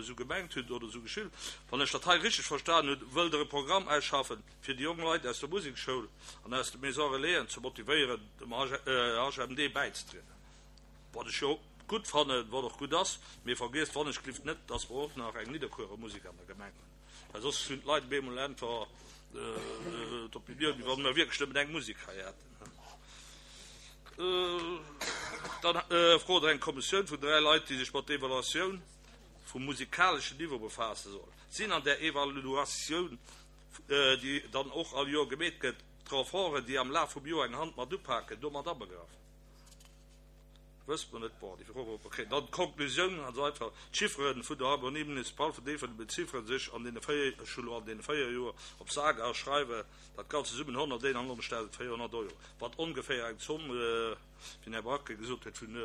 esou gemengt hutt oder esou geschriwwen, wann ech dat hei richteg verstanen hunn, wëllt Der e Programm ausschaffen, fir déi jonk Leit aus der Musekschoul an aus de Maisons Relaisen ze motivéieren, dem HMD bäizetrieden. Wat ech jo gutt fannen, wat och gutt ass, mee vergiesst wannechglift net, dass mer och nach eng Nidderkuerer Musek an der Gemeng hunn, well soss hunn d'Leit op eemol einfach d'Opinioun, wéi wa mer wierklech nëmmen eng Musek hei hätten. Dann frot Der eng Kommissioun vun 3 Leit, déi sech mat der Evaluatioun vum musikaleschen Niveau befaasse soll. Sinn an där Evaluatioun déi dann och all Joer gemeet gëtt, d'Renforten, déi am Laf vum Joer eng Hand mat upaken, domat abegraff? Wësst mer net. Bon, déi Fro wollt mer kréien. Dann d'Konklusioun, ganz einfach, D'Chiffere vun der Harmonie municipale vun Déifferdeng beziffere sech an deene véier, ech hu lo an deene véier Joer op sage a schreiwe dat Ganzt zesummen 191.400 Euro, wat ongeféier eng Zomm, wéi den Här Bracke gesot huet, vun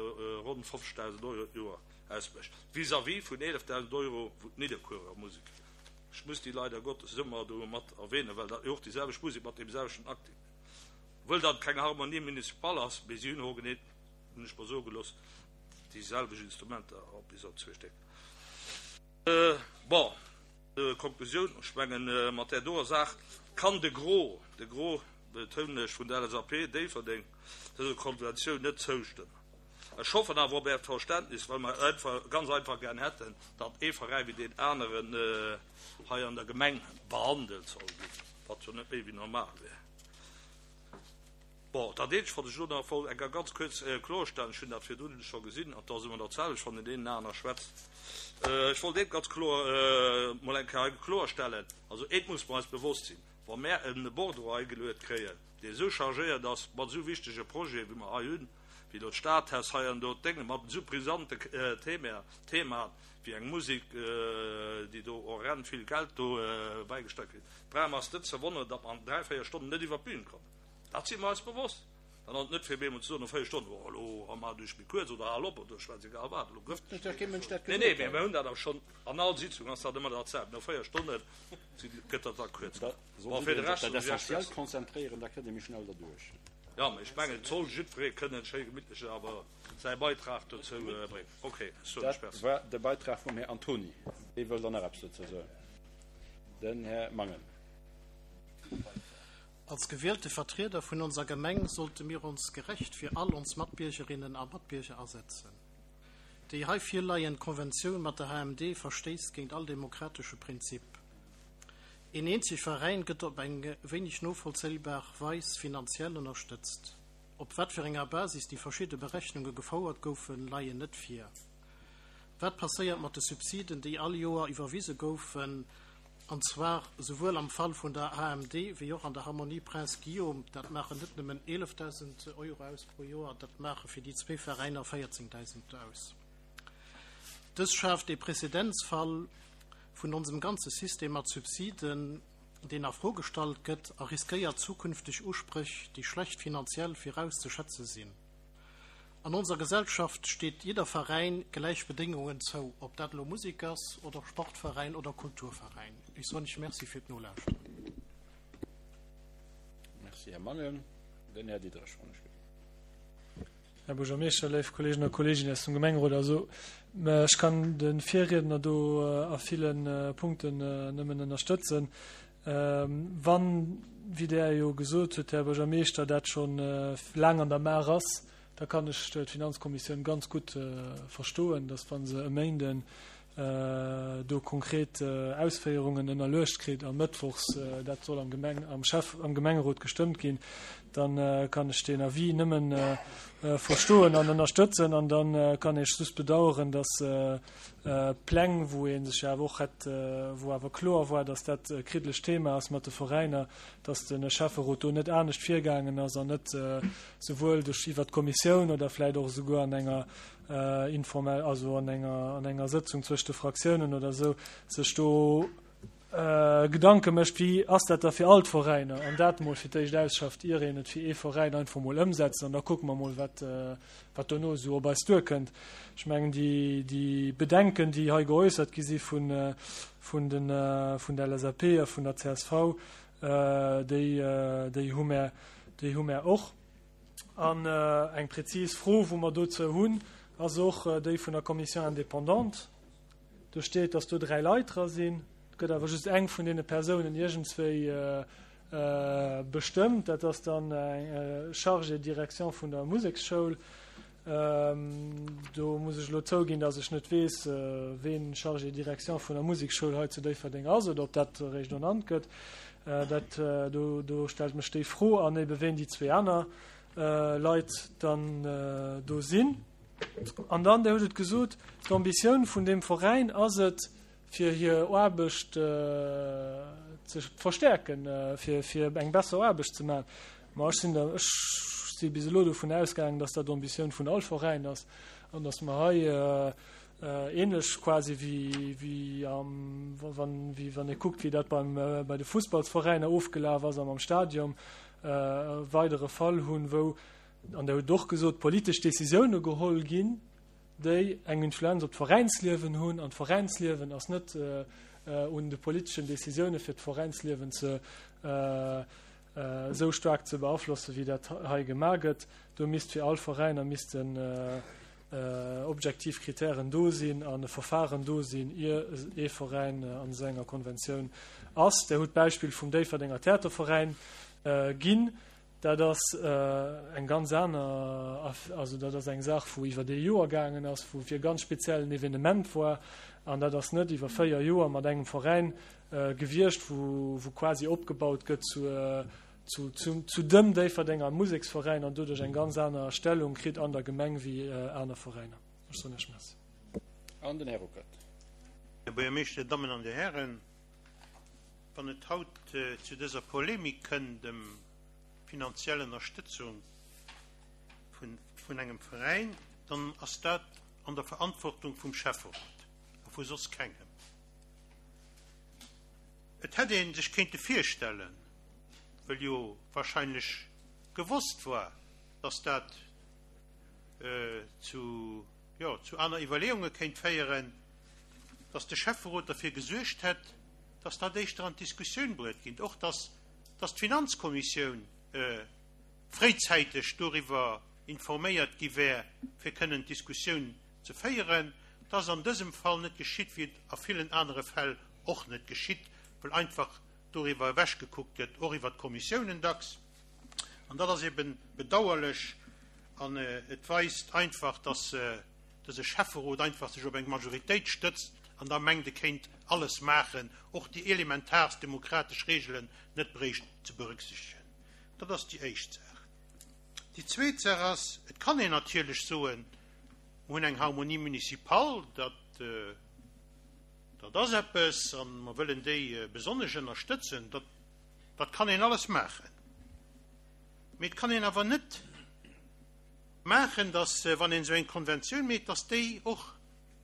ronn 50.000 Euro d'Joer ausmécht, vis-à-vis vun 11.000 Euro, wou d'Nidderkuerer Musek. Ech muss déi leider Gottes ëmmer do mat erwähnen, well dat jo och déi selwecht Musek mat deem selwechten Acting. Obwuel dat keng Harmonie municipale ass, mee si hunn hogenee, hunn ech mer soe gelooss, déi selwecht Instrumenter, bis op zwee Stéck. Bon, Konklusioun, ech mengen, mat där doer Saach kann de Gros, de Gros betounen ech, vun der LSAP Déifferdeng dëser Konventioun net zoustëmmen. Ech hoffen awer op Äert Verständnis, well mer einfach, ganz einfach gär hätten, datt ee Veräi wéi deen aneren hei an der Gemeng behandelt soll ginn, wat jo net méi wéi normal wär. Bon, dat eenzegt, wat ech elo nach wollt eng Kéier ganz kuerz kloerstellen, ech hunn dat virdrun scho gesinn, an et ass ëmmer dat selwecht, wann een deenen aner schwätzt, ech wollt eent ganz kloer mol eng Kéier hei kloerstellen, also eent muss mer eis bewosst sinn, Wa mär e Bordereau hei geluet kréien, dee esou chargéiert ass mat esou wichtege Projete wéi mer hei hunn, wéi elo d'Stadhaus hei an do d'Dénge mat esou brisante Themaen wéi eng Musek, déi do horrend vill Geld do bäigesteiert kritt, brauche mer eis net ze wonneren, datt mer an dräi, véier Stonnen net iwwert d'Bün kommen. Dat si mer eis bewosst. Dann ass et net fir op eemol ze soen no véier Stonnen, oh elo maacht Iech méi kuerz oder hal op oder ech weess egal wat, elo gëff. Nee, nee, mä mir hunn dat awer schonn an all Sitzung ass dat ëmmer dat selwecht, no véier Stonne gëtt dat da kuerz. Bon, fir de Rescht soen ech Iech Merci. Konzentréieren, da kënnt ee méi schnell derduerch. Jo, mä ech mengen, et soll jiddweree kënnen schéi gemittlech awer säi Beitrag dozou bréngen. Ok, ech soen Iech Dat Merci. war de Beitrag vum Här Antony. Wee wëll dann nach eppes dozou soen? Den Här Mangen. Als gewielte Vertrieder vun onser Gemeng sollte mir ons gerecht fir all ons Matbiergerinnen a Matbierger asetzen. Déi hei virleiend Konventioun mat der HMD verstéisst géint all demokratesche Prinzip. Een eenzeg Veräin gëtt op eng wéineg novollzéibar Weis finanziell ënnerstëtzt. Op wat fir enger Basis déi verschidde Berechnunge gefouert goufen, leien net vir. Wat passéiert mat de Subsiden, déi all Joer iwwerwise goufen, an zwar souwuel am Fall vun der HMD wéi och an der Harmonie Prince Guillaume? Dat maachen net nëmmen 11.000 Euro aus pro Joer, dat maache fir déi zwee Veräiner 14.000 aus. Dës schaaft ee Präzedenzfall vun onsem ganze System mat Subsiden, deen a Fro gestallt gëtt a riskéiert zukünfteg Uspréch, déi schlecht finanziell virauszeschätze sinn. An onser Gesellschaft steet jidder Veräin gläich Bedéngungen zou, ob dat elo Musek ass oder Sportveräin oder Kulturveräin. Ech soen Iech Merci fir d'Nolauschteren. Merci, Här Mangen. Den Här Diderich, wann ech gelift. Här Buergermeeschter, léif Kolleegen a Kolleeginnen aus dem Gemengerot, also ech kann de Virriedner do a ville Punkten nëmmen ënnerstëtzen. Wann, wéi Der jo gesot hutt, Här Buergermeeschter, dat scho laang an der Maach ass, da kann ech d'Finanzkommissioun ganz gutt verstoen, dass wa se e Méinden do konkret Ausféierungen ënnerluecht kritt a mëttwochs dat soll am Gemeng, am Schäff, am Gemengerot gestëmmt ginn, da kann ech deen Avis nëmmen verstoen an ënnerstëtzen. An da kann ech just bedauern, dass Pläng, wou ee sech jo awer och hätt, wou awer kloer war, dass dat e kriddlecht Thema ass mat de Veräiner, dass de Schäfferot do net anescht virgaangen ass an net souwuel duerch iwwert d'Kommissioun oder vläicht och esouguer an enger informell, also an enger, an enger Sëtzung zwëscht de Fraktiounen oder esou, sech do Gedanke mécht, wéi ass dat da fir all d'Veräiner, an dat emol fir d'éischt ausschafft, ier een et fir ee Veräin einfach emol ëmsetzt, an da kucke mer emol, wat, wat dono esou op eis duerkënnt. Ech mengen, déi, déi Bedenken, déi hei geäussert gi si vun, vun den, vun der LSAP a vun der csv, déi, déi hu mär, déi hu mär och. An eng prezis Fro, wou mer dozou hunn, ass och déi vun der Commission indépendante. Do steet, dass do dräi Leit dra sinn. Et gëtt awer just eng vun deene Persounen iergendswéi bestëmmt. Dat ass dann eng Chargée de direction vun der Museksschoul. Do muss ech elo zouginn, dass ech net weess, ween Chargé de direction vun der Museksschoul hei zu Déifferdeng ass oder ob dat eréischt ernannt gëtt. Dat, do, do stellt mech déi Fro an ebe ween déi zwee aner Leit dann do sinn. An dann, Dir hutt et gesot, d'Ambitioun vun deem Veräin ass et, fir hir Aarbecht ze verstäerken, fir, fir eng besser Aarbecht ze maachen. Ma ech sinn der, ech si bis elo dovun ausgaangen, dass dat d'Ambitioun vun all Veräin ass an dass mer hei ähnlech quasi wéi, wéi am, wann, wéi wann ee kuckt, wéi dat beim, bei de Fussballsveräiner ofgelaf ass an am Stadion, e weidere Fall hunn, wou, an Der hutt et och gesot, politesch Décisioune geholl ginn, déi eng Influenz op d'Veräinsliewen hunn, an d'Veräinsliewen ass net. un de politeschen Décisioune fir d'Veräinsliewen ze esou staark ze beaflossen, wéi dat hei gemaach gëtt. Do misst fir all Veräiner missten objektiv Kritären do sinn an e Verfahren do sinn, ier ee Veräin an esou enger Konventioun ass. Der hutt d'Beispill vum Déifferdenger Theaterveräin ginn. Dat ass eng ganz aner, also dat ass eng Saach, wou iwwer ee Joer gaangen ass, wou fir e ganz speziellen Evenement war. An dat ass net iwwer 4 Joer mat engem Veräin gewiescht, wou quasi opgebaut gëtt zu, zu, zu dem Déifferdenger Museksveräin an doduerch eng ganz aner Stellung kritt an der Gemeng wéi aner Veräiner. Ech soen Iech Merci. An den Här Ruckert. Här Buergermeeschter, Dir Dammen an Dir Hären, wann et haut zu dëser Polemik kënnt ëm finanziell Ënnerstëtzung vun engem Veräin, dann ass dat an der Verantwortung vum Schäfferot a vu soss kengem. Et hätt ee sech kéinte virstellen, wëll jo wahrscheinlech gewosst war, dass dat zu, jo, zu aner Iwwerleeunge kéint féieren, dass de Schäfferot derfir gesuergt hätt, dass dat éischter an d'Diskussioun bruet ginn, och dass, dass d'Finanzkommissioun fréizäiteg doriwwer informéiert gi wär, fir kënnen d'Diskussioun ze féieren. Dat ass an dësem Fall net geschitt, wéi et a villen anere Fäll och net geschitt, well einfach doriwwer ewechgekuckt gëtt, och iwwer d'Kommissiounen dacks. An dat ass ebe bedauerlech an et weist einfach, dass dëse Schäfferot einfach sech op eng Majoritéit stëtzt an da mengt, e kéint alles maachen, och déi elementaarst demokratesch Reegelen net bréicht ze berücksichtegen. Dat ass déi éischt Saach. Déi zweet Saach ass, et kann een natierlech soen, mer hunn eng Harmonie municipale, dat, dat ass eppes a mer wëllen déi besonnesch ënnerstëtzen. Dat, dat kann een alles maachen. Mee et kann een awer net maachen, dass, wann een esou eng Konventioun mécht, dass déi och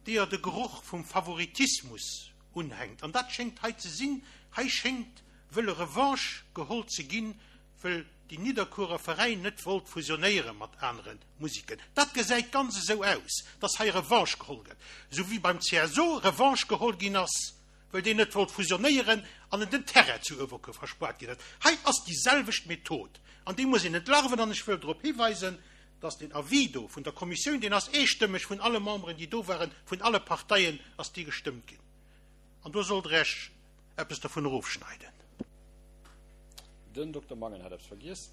deeër de Geroch vum Favoritismus unhänkt. An dat schéngt hei ze sinn. Hei schéngt wëlle Revanche geholl ze ginn, wëll déi Nidderkuerer Veräin net wollt fusionéiere mat anere Musiken. Dat gesäit ganz esou aus, dass hei Revanche geholl gëtt, esou wéi beim CSO Revanche geholl ginn ass, wëll deen net wollt fusionéieren an en den Terrain zu Uewerkuer verspaart ginn huet. Hei ass déi selwecht Method an déi muss een entlarven. An ech wëll drop hiweisen, dass deen Avis do vun der Kommissioun, deen ass eestëmmeg vun alle Memberen, déi do waren, vun alle Parteien ass dee gestëmmt ginn. An do sollt Der Iech eppes dovun erofschneiden. Den Dokter Mangen hat eppes vergiess.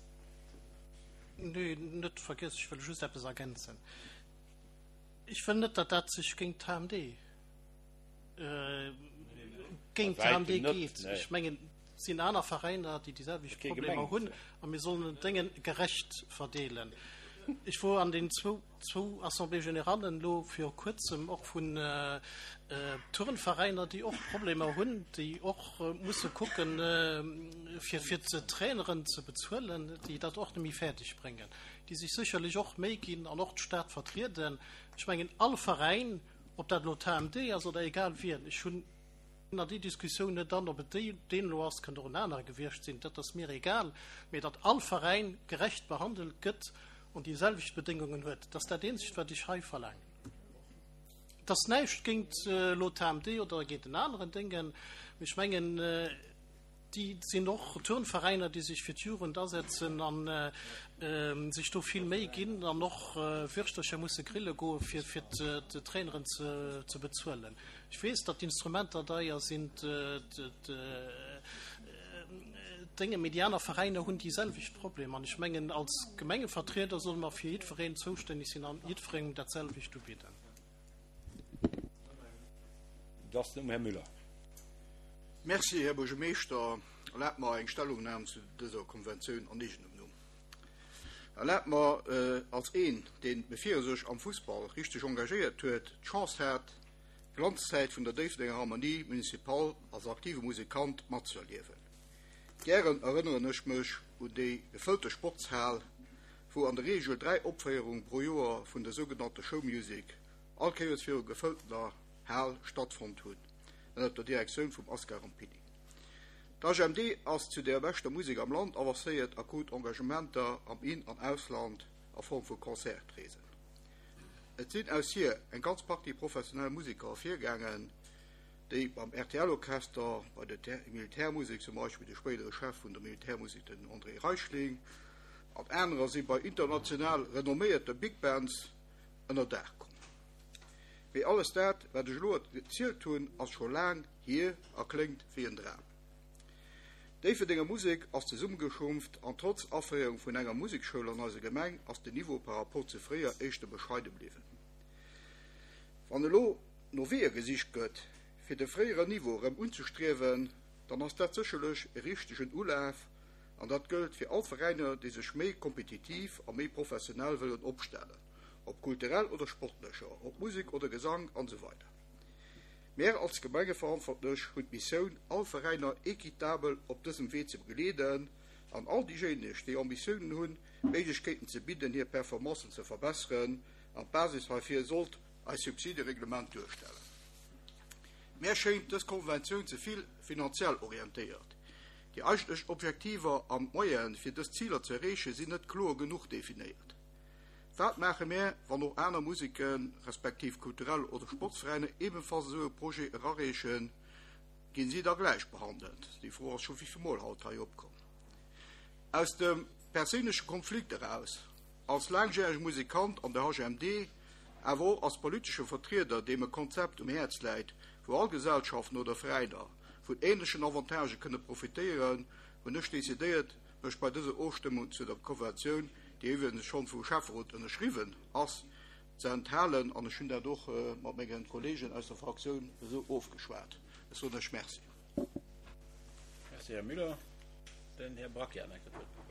Nee, net vergiess, ech wëll just eppes ergänzen. Ech wëll net, datt dat sech géint d'HMD, géint d'HMD geet. Ech mengen, et sinn aner Veräiner, déi déi selwecht Problemer hunn a mir sollen d'Dénge gerecht verdeelen. Ech wor an den zwou zwou Assemblées générallen elo viru kuerzem och vun Turnveräiner, déi och Problemer hunn, déi och musse kucken, fir fir d'Traineren ze bezuelen, déi dat och net méi fäerdeg bréngen, déi sech sécherlech och Méi ginn an och d'Stad vertrieden. Ech mengen, all Veräin, ob dat elo d'HMD ass oder egal wien, ech hunn an déi Diskussioun net an, ob et déi, deen elo ass, kënnt och en anere gewiescht sinn, dat ass mir egal, mee datt all Veräin gerecht behandelt gëtt an déi selwecht Bedéngungen huet. Dat ass dat eenzegt, wat ech hei verlaangen. Et ass näischt géint elo d'HMD oder géint en aneren Déngen, mee ech mengen, déi sinn och Turnveräiner, déi sech fir d'Jugend asetzen a sech do vill Méi ginn an och Würschtercher musse grille goe fir d'Traineren ze bezuelen. Ech weess, datt d'Instrumenter deier sinn, Dénge, mee déi aner Veräiner hunn déi selwecht Problemer. An ech mengen, als Gemengevertrieder solle mer fir jiddwereen zoustänneg sinn an jiddwerengem dat selwecht ubidden. Et ass den Här Müller. Merci, Här Buergermeeschter. Erlaabt mer eng Stellungnam zu dëser Konventioun an eegenem Numm. Erlaabt mer, als een, deen, bevir e sech am Fussball richteg engagéiert huet, d'Chance hat, d'Glanzzäit vun der Déifferdenger Harmonie Municipale als aktive Musikant matzuerliewen. Gären erënneren ech mech un déi gefëllte Sportshal, wou an der Reegel 3 Opféierung pro Joer vun der sougenannter Show Music all Kéiers viru gefëlltener Hal stattfonnt hunn, ënnert der Direktioun vum Ascar Rampini. D'HMD ass zu der beschter Musek am Land avancéiert a krut Engagementer am In an Ausland a Form vu Concertreesen. Et sinn aus hir eng ganz Partie professionell Museker ervirgaangen. déi beim RTL-Orchester, bei der Militärmusek, zum Beispill de spéidere Chef vun der Militärmusek, den André Reichling, an anerer si bei international renomméierte Big Bands ënner Daach komm. Mee alles dat, wat ech elo erzielt hunn, ass scho laang hier a kléngt wéi en Dram. D'Déifferdenger Musek ass zesummegeschrumpft an trotz Aféierung vun enger Musekschoul an eiser Gemeng ass den Niveau par rapport zu fréier éischter bescheide bliwwen. Wann elo no Weeër gesicht gëtt, fir de fréieren Niveau erëm unzestriewen, dann ass dat sécherlech e richtegen Ulaf an dat gëllt fir all Veräiner, déi sech méi kompetitiv a méi professionell wëllen opstellen, ob kulturell oder sportlecher, ob Musek oder Gesank an esou weider. Mär als Gemengeverantwortlech hunn d'Missioun, all Veräiner équitabel op dësem Wee ze begleeden an all déijéineg, déi Ambitiounen hunn, Méiglechkeeten ze bidden, hir Performancen ze verbesseren. An d'Basis heifir sollt eist Subsidereglement duerstellen. Mär schéint dës Konventioun ze vill finanziell orientéiert. Déi eigentlech Objektiver an d'Moyene fir dës Ziler ze erreechen, sinn net kloer genuch definéiert. Wat maache mär, wann och aner Museken, respektiv kulturell oder Sportsveräiner ebenfalls esou e Projet erareechen? Ginn si da gläich behandelt? Déi Fro ass scho wéivill Mol haut hei opkomm. Aus dem perséinleche Konflikt eraus, als laangjärege Musikant an der HMD, awer och als politesche Vertrieder, deem e Konzept um Häerz läit, wou all Gesellschaften oder Veräiner vun änlechen Avantagë kënne profitéieren, hunn ech decidéiert, mech bei dëser Ofstëmmung zu der Konventioun, déi iwwregens schonn vum Schäfferot ënnerschriwwen ass, ze enthalen. An ech hunn dat och mat menge Kolleegen aus der Fraktioun esou ofgeschwat. Ech soen lech Merci. Merci, Här Müller. Den Här Braquet hat nach eng Kéier d'Wuert gefrot.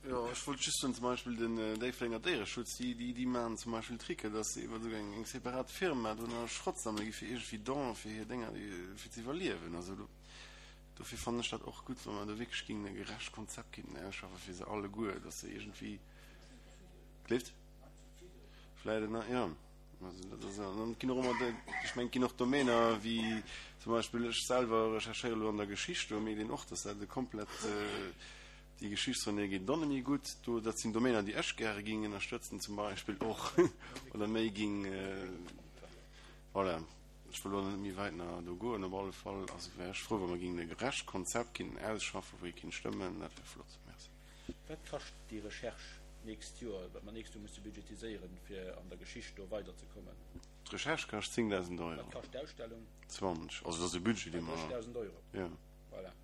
Jo, ech wollt just soen, zum Beispill den Déifferdenger Déiereschutz, déi, déi, déi maachen zum Beispill Tricken, dass se iwwer esou eng, eng separat Firma do nach Schrott sammele gi fir iergendwéi Donen fir hir Dénger, fir ze iwwerliewen. Also do. Dofir fannen ech dat och gutt, wa mer do wierklech géingen e gerecht Konzept kéinten ausschaffen fir se alleguer, dass se iergendwéi, gleeft? Vläicht en, jo. Also dat ass, an et ginn och ëmmer, ech mengen, et ginn och Domäner wéi zum Beispill ech selwer recherchéiere elo an der Geschicht, do mierkt een och, dass dat e komplett, déi Geschichtsrennée geet dann net méi gutt. Do, dat sinn Domäner, déi ech gäre géing ënnerstëtzen zum Beispill och oder méi géing, voilà. Ech wëll elo net méi wäit nach do goen. Op alle Fall also wär ech frou, wa mer géingen e gerecht Konzept kinnten ausschaffen, wou ee kinnt stëmmen. Dat wär flott. Merci. Wat kascht déi Recherche d'nächst Joer, wat mer d'nächst Joer musse budgetiséieren, fir an der Geschicht do weiderzekommen? D'Recherche kascht 10.000 Euro. Wat kascht d'Ausstellung? 20. Also dat ass e Budget, dee mer. 30.000 Euro. Jo. Voilà.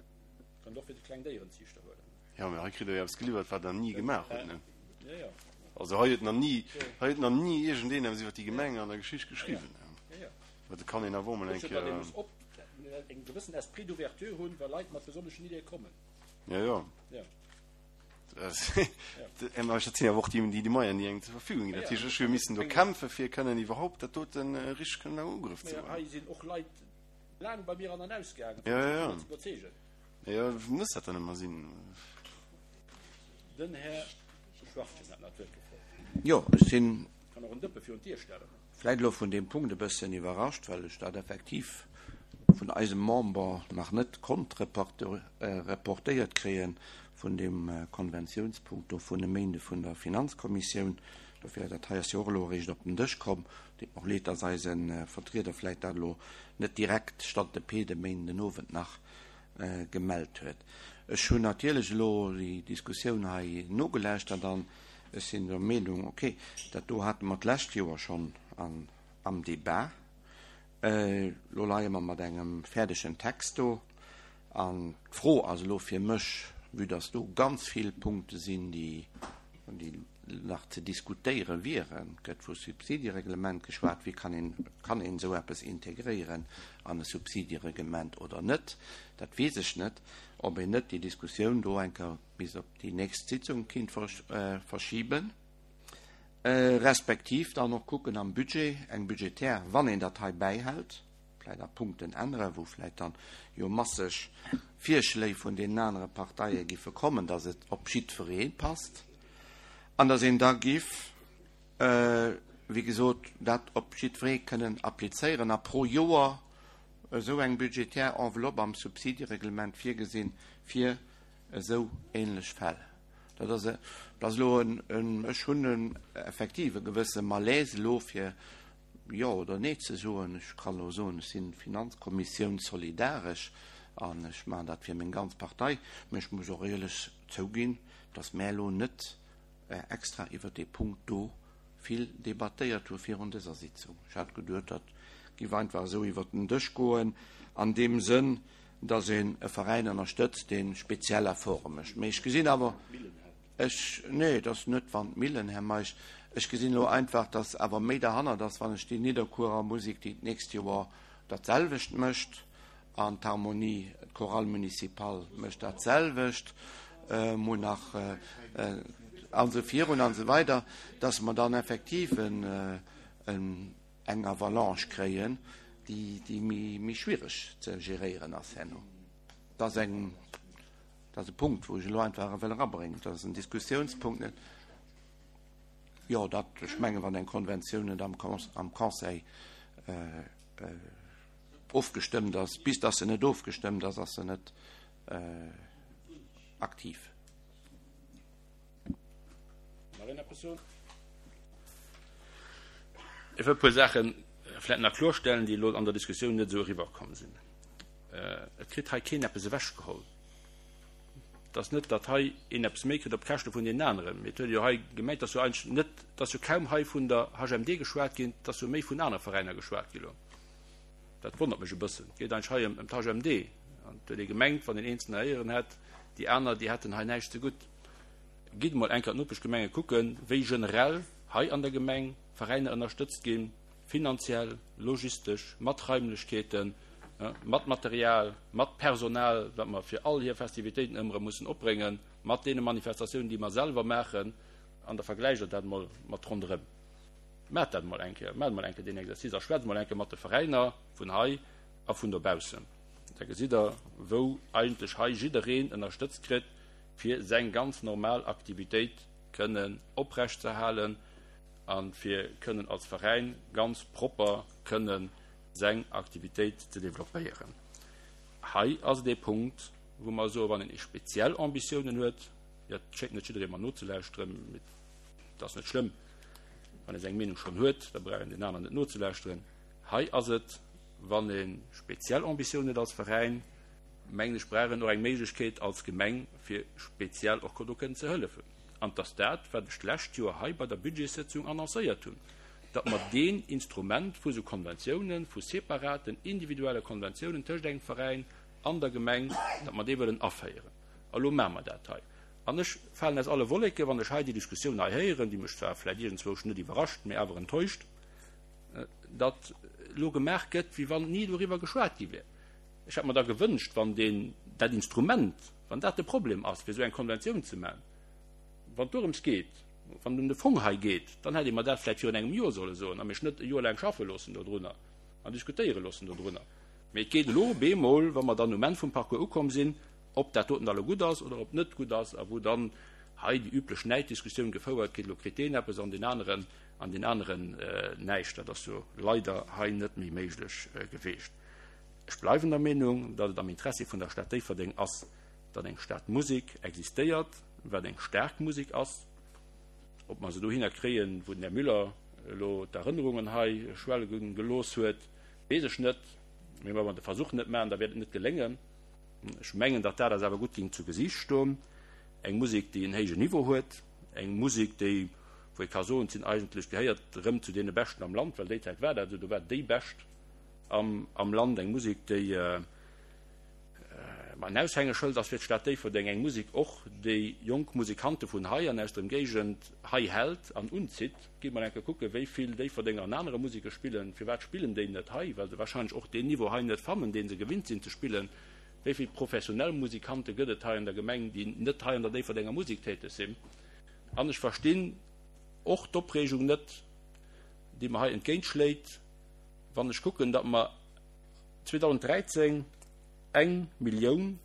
Kënnt och fir de Klengdéierenziichter huelen. Jo, mä hei kritt Der jo eppes geliwwert, wat Der ni gemaach hutt, ne? Jo, jo. Also hei huet nach ni, hei huet nach ni iergendeen eppes iwwer déi Gemeng an der Geschicht geschriwwen. Mä dat kann een awer och mol eng Kéier. Datt ee muss op eng gewëssen Esprit d'ouverture hunn, wa Leit mat besonneschen Ideeë kommen. Jo, jo. Jo. Mä dat sinn awer och déi, déi Moyenen, déi engem zur Verfügung ginn. Dat heescht, ech hu missen do kämpfen, fir kënnen iwwerhaupt dat doten richteg kënnen a Ugrëff ze huelen. Hei sinn och Leit laang bei mir an an ausgaangen, fir mech dovunner ze iwwerzeegen. Jo, muss dat dann ëmmer sinn? Den Här Schwachtgen hat nach d'Wuert gefrot. Jo, ech sinn. Kann och en Dëppe virun d'Dier stellen. Vläit elo vun deem Punkt e bëssen iwwerrascht, well ech dat effektiv vun eisem Member nach net konnt reportéiert kréie vun deem Konventiounspunkt do vun e Méinde vun der Finanzkommissioun. Dofir, dat hei ass jo och elo eréischt op den Dësch komm. Deet mer och leed, dass eise Vertrieder vläit dat elo net direkt stante pede de Méinden den Owend nach gemellt huet. Ech hunn natierlech elo déi Diskussioun hei nogelauschtert an ech sinn der Meenung, okay, dat do hate mer d'lescht Joer schonn am Debat. Elo leie mer mat engem fäerdegen Text do an d'Fro ass elo fir mech, vue dass do ganz vill Punkte sinn, déi nach ze diskutéiere wieren, et gëtt vu Subsidiereglement geschwat, wéi kann een, kann een esou eppes integréieren an e Subsidiereglement oder net, dat weess ech net, ob een net déi Diskussioun do eng Kéier bis op déi nächst Sitzung kinnt verschiben, respektiv dann och kucken am Budget, eng budgetär, wann een dat hei bäihält, vläicht a Punkten änneren, wou vläicht dann jo masseg Virschléi vun deenen anere Parteie giffe kommen, dass et op jiddweree passt an dass een da giff, wéi gesot, dat op jiddweree kënnen applizéieren a pro Joer esou eng budgetär Enveloppe am Subsidiereglement virgesinn fir esou ähnlech Fäll. Dat ass, dat ass elo en, ech hunn en effektiv e gewësse Malaise elo fir. Jo oder Nee ze soen. Ech kann elo soen, ech sinn Finanzkommissioun solidaresch an ech maachen dat fir meng ganz Partei. Mä ech muss och éierlech zouginn, dass mär elo net extra iwwert dee Punkt do vill debattéiert hu virun dëser Sitzung. Ech hat geduet, dat giff einfach esou iwwert den Dësch goen an deem Sënn, dass een e Veräin ënnerstëtzt, dee speziell Efforte mécht. Mee ech gesinn awer, ech, nee, et ass net Wandmillen, Här Meisch, ech gesinn elo einfach, dass awer méi derhannert ass, wann ech déi Nidderkuerer Musek, déi d'nächst Joer dat selwecht mécht, an d'Harmonie, d'Chorale municipale mécht dat selwecht, mol nach, an esou virun an esou weider, dass mer dann effektiv en, eng Avalanche kréien, déi méi schwiereg ze geréieren ass herno. Dat ass eng, dat ass e Punkt, wou ech elo einfach wëll erabréngen. Dat ass en Diskussiounspunkt, net? Jo, dat, ech mengen, wann eng Konventioun net am am Conseil ofgestëmmt ass, bis datt se net ofgestëmmt ass, ass se net aktiv. Nach een eppes soen? Ech wëll e puer Saache vläicht nach klorstellen, déi elo an der Diskussioun net esou eriwwerkomm sinn. Et kritt hei keen eppes ewechgeholl. Et ass net, datt hei een eppes méi kritt op Käschte vun deenen aneren. Mee et huet ee jo hei gemengt, datt jo eigentlech net, et ass jo kaum hei vun der HMD geschwat ginn, et ass jo méi vun anere Veräiner geschwat gi lo. Dat wonnert mech e bëssen. Et geet eigentlech hei ëm d'HMD. An et huet ee gemengt, wann een eenzelner héieren hätt, déi aner, déi hätten hei näischt zegutt. Gitt emol eng Kéier d'Nopeschgemenge kucken, wéi generell hei an der Gemeng Veräiner ënnerstëtzt ginn, finanziell, logistesch, mat Raimlechkeeten, mat Material, mat Personal, wat mer fir all hir Festivitéiten ëmmer erëm mussen opbréngen, mat deene Manifestatiounen, déi mer selwer maachen. An da vergläicht Der dat emol mat ronderëm. Maacht dat emol eng Kéier, maacht emol eng Kéier deen Exercice a schwätzt emol eng Kéier mat de Veräiner vun hei a vun dobaussen. Da gesitt Der, wou eigentlech hei jiddereen ënnerstëtzt kritt, fir seng ganz normal Aktivitéit kënnen oprechtzeerhalen a fir kënnen als Veräin ganz propper kënnen seng Aktivitéit ze developpéieren. Hei ass et ee Punkt, wou mer soen, wann een speziell Ambitiounen huet, jo, et schéngt net jidderee mer nozelauschteren, mee et ass net schlëmm, wann ee seng Meenung schonn huet, da brauch een den aneren net nozelauschteren. Hei ass et, wann ee speziell Ambitiounen huet als Veräin, mengen ech, brauch een och eng Méiglechkeet als Gemeng, fir speziell och do kënnen ze hëllefen. An et ass dat, wat ech d'lescht Joer hei bei der Budgetssëtzung annoncéiert hunn, datt mer deen Instrument vu sou Konventiounen, vu separaten, individuelle Konventiounen tëscht engem Veräin an der Gemeng, datt mer dee wëllen aféieren. A lo maache mer dat hei. An ech falen aus alle Wolleken, wann ech hei déi Diskussioun hei héieren, déi mech zwar vläicht iergendzwousch net iwwerrascht, mä awer enttäuscht, datt elo gemaach gëtt, wéi wann ni doriwwer geschwat gi wär. Ech hätt mer da gewënscht, wann deen, dat Instrument, wann dat de Problem ass, fir esou eng Konventioun ze maachen, wann et dorëms geet, wann et ëm de Fong hei geet, dann hätt ee mer dat vläicht virun engem Joer solle soen a mech net e Joer laang schaffe loossen dodrunner an diskutéiere loossen dodrunner. Mee et geet elo op eemol, wa mer dann um Enn vum Parcours ukomm sinn, ob dat doten da elo gutt ass oder ob et net gutt ass a wou dann hei déi üblech Näiddiskussioun gefouert gëtt, elo kritt deen eppes an deen aneren an deen aneren näischt. Dat ass jo leider hei net méi méiglech geweecht. Ech bleiwen der Meenung, datt et am Interessi vun der Stad Déifferdeng ass, datt eng Stadmusek existéiert, wat eng staark Musek ass. Ob mer se dohinner kréien, wou den Här Müller elo d'Erënnerungen hei schwelle gelooss huet, weess ech net. Mee wa mer de Versuch net maachen, da wäert et net geléngen. Ech mengen, datt dat eis awer gutt géing zu Gesiicht stoen. Eng Musek, déi en héijen Niveau huet, eng Musek, déi, wou ee ka soen, sinn eigentlech, gehéiert erëm zu deene Beschten am Land, well déi Zäit war dat esou, do war déi Bescht am Land, eng Musek, déi en Aushängeschëld ass fir d'Stad Déifferdeng, eng Musek och, déi jonk Musikante vun hei an aus der Ëmgéigend hei hält an unzitt. Gitt mol eng Kéier kucken, wéi vill Déifferdenger an anere Museke spillen. Firwat spillen déi net hei? Well se warscheinlech och deen Niveau hei net fannen, dee se gewinnt sinn ze spillen. Wéi vill professionell Musikante gëtt et hei an der Gemeng, déi net hei an der Déifferdenger Musek täteg sinn? An ech verstinn och d'Opreegung net, déi mer hei entgéintschléit, Wann ech kucken, datt mer 2013 eng Millioun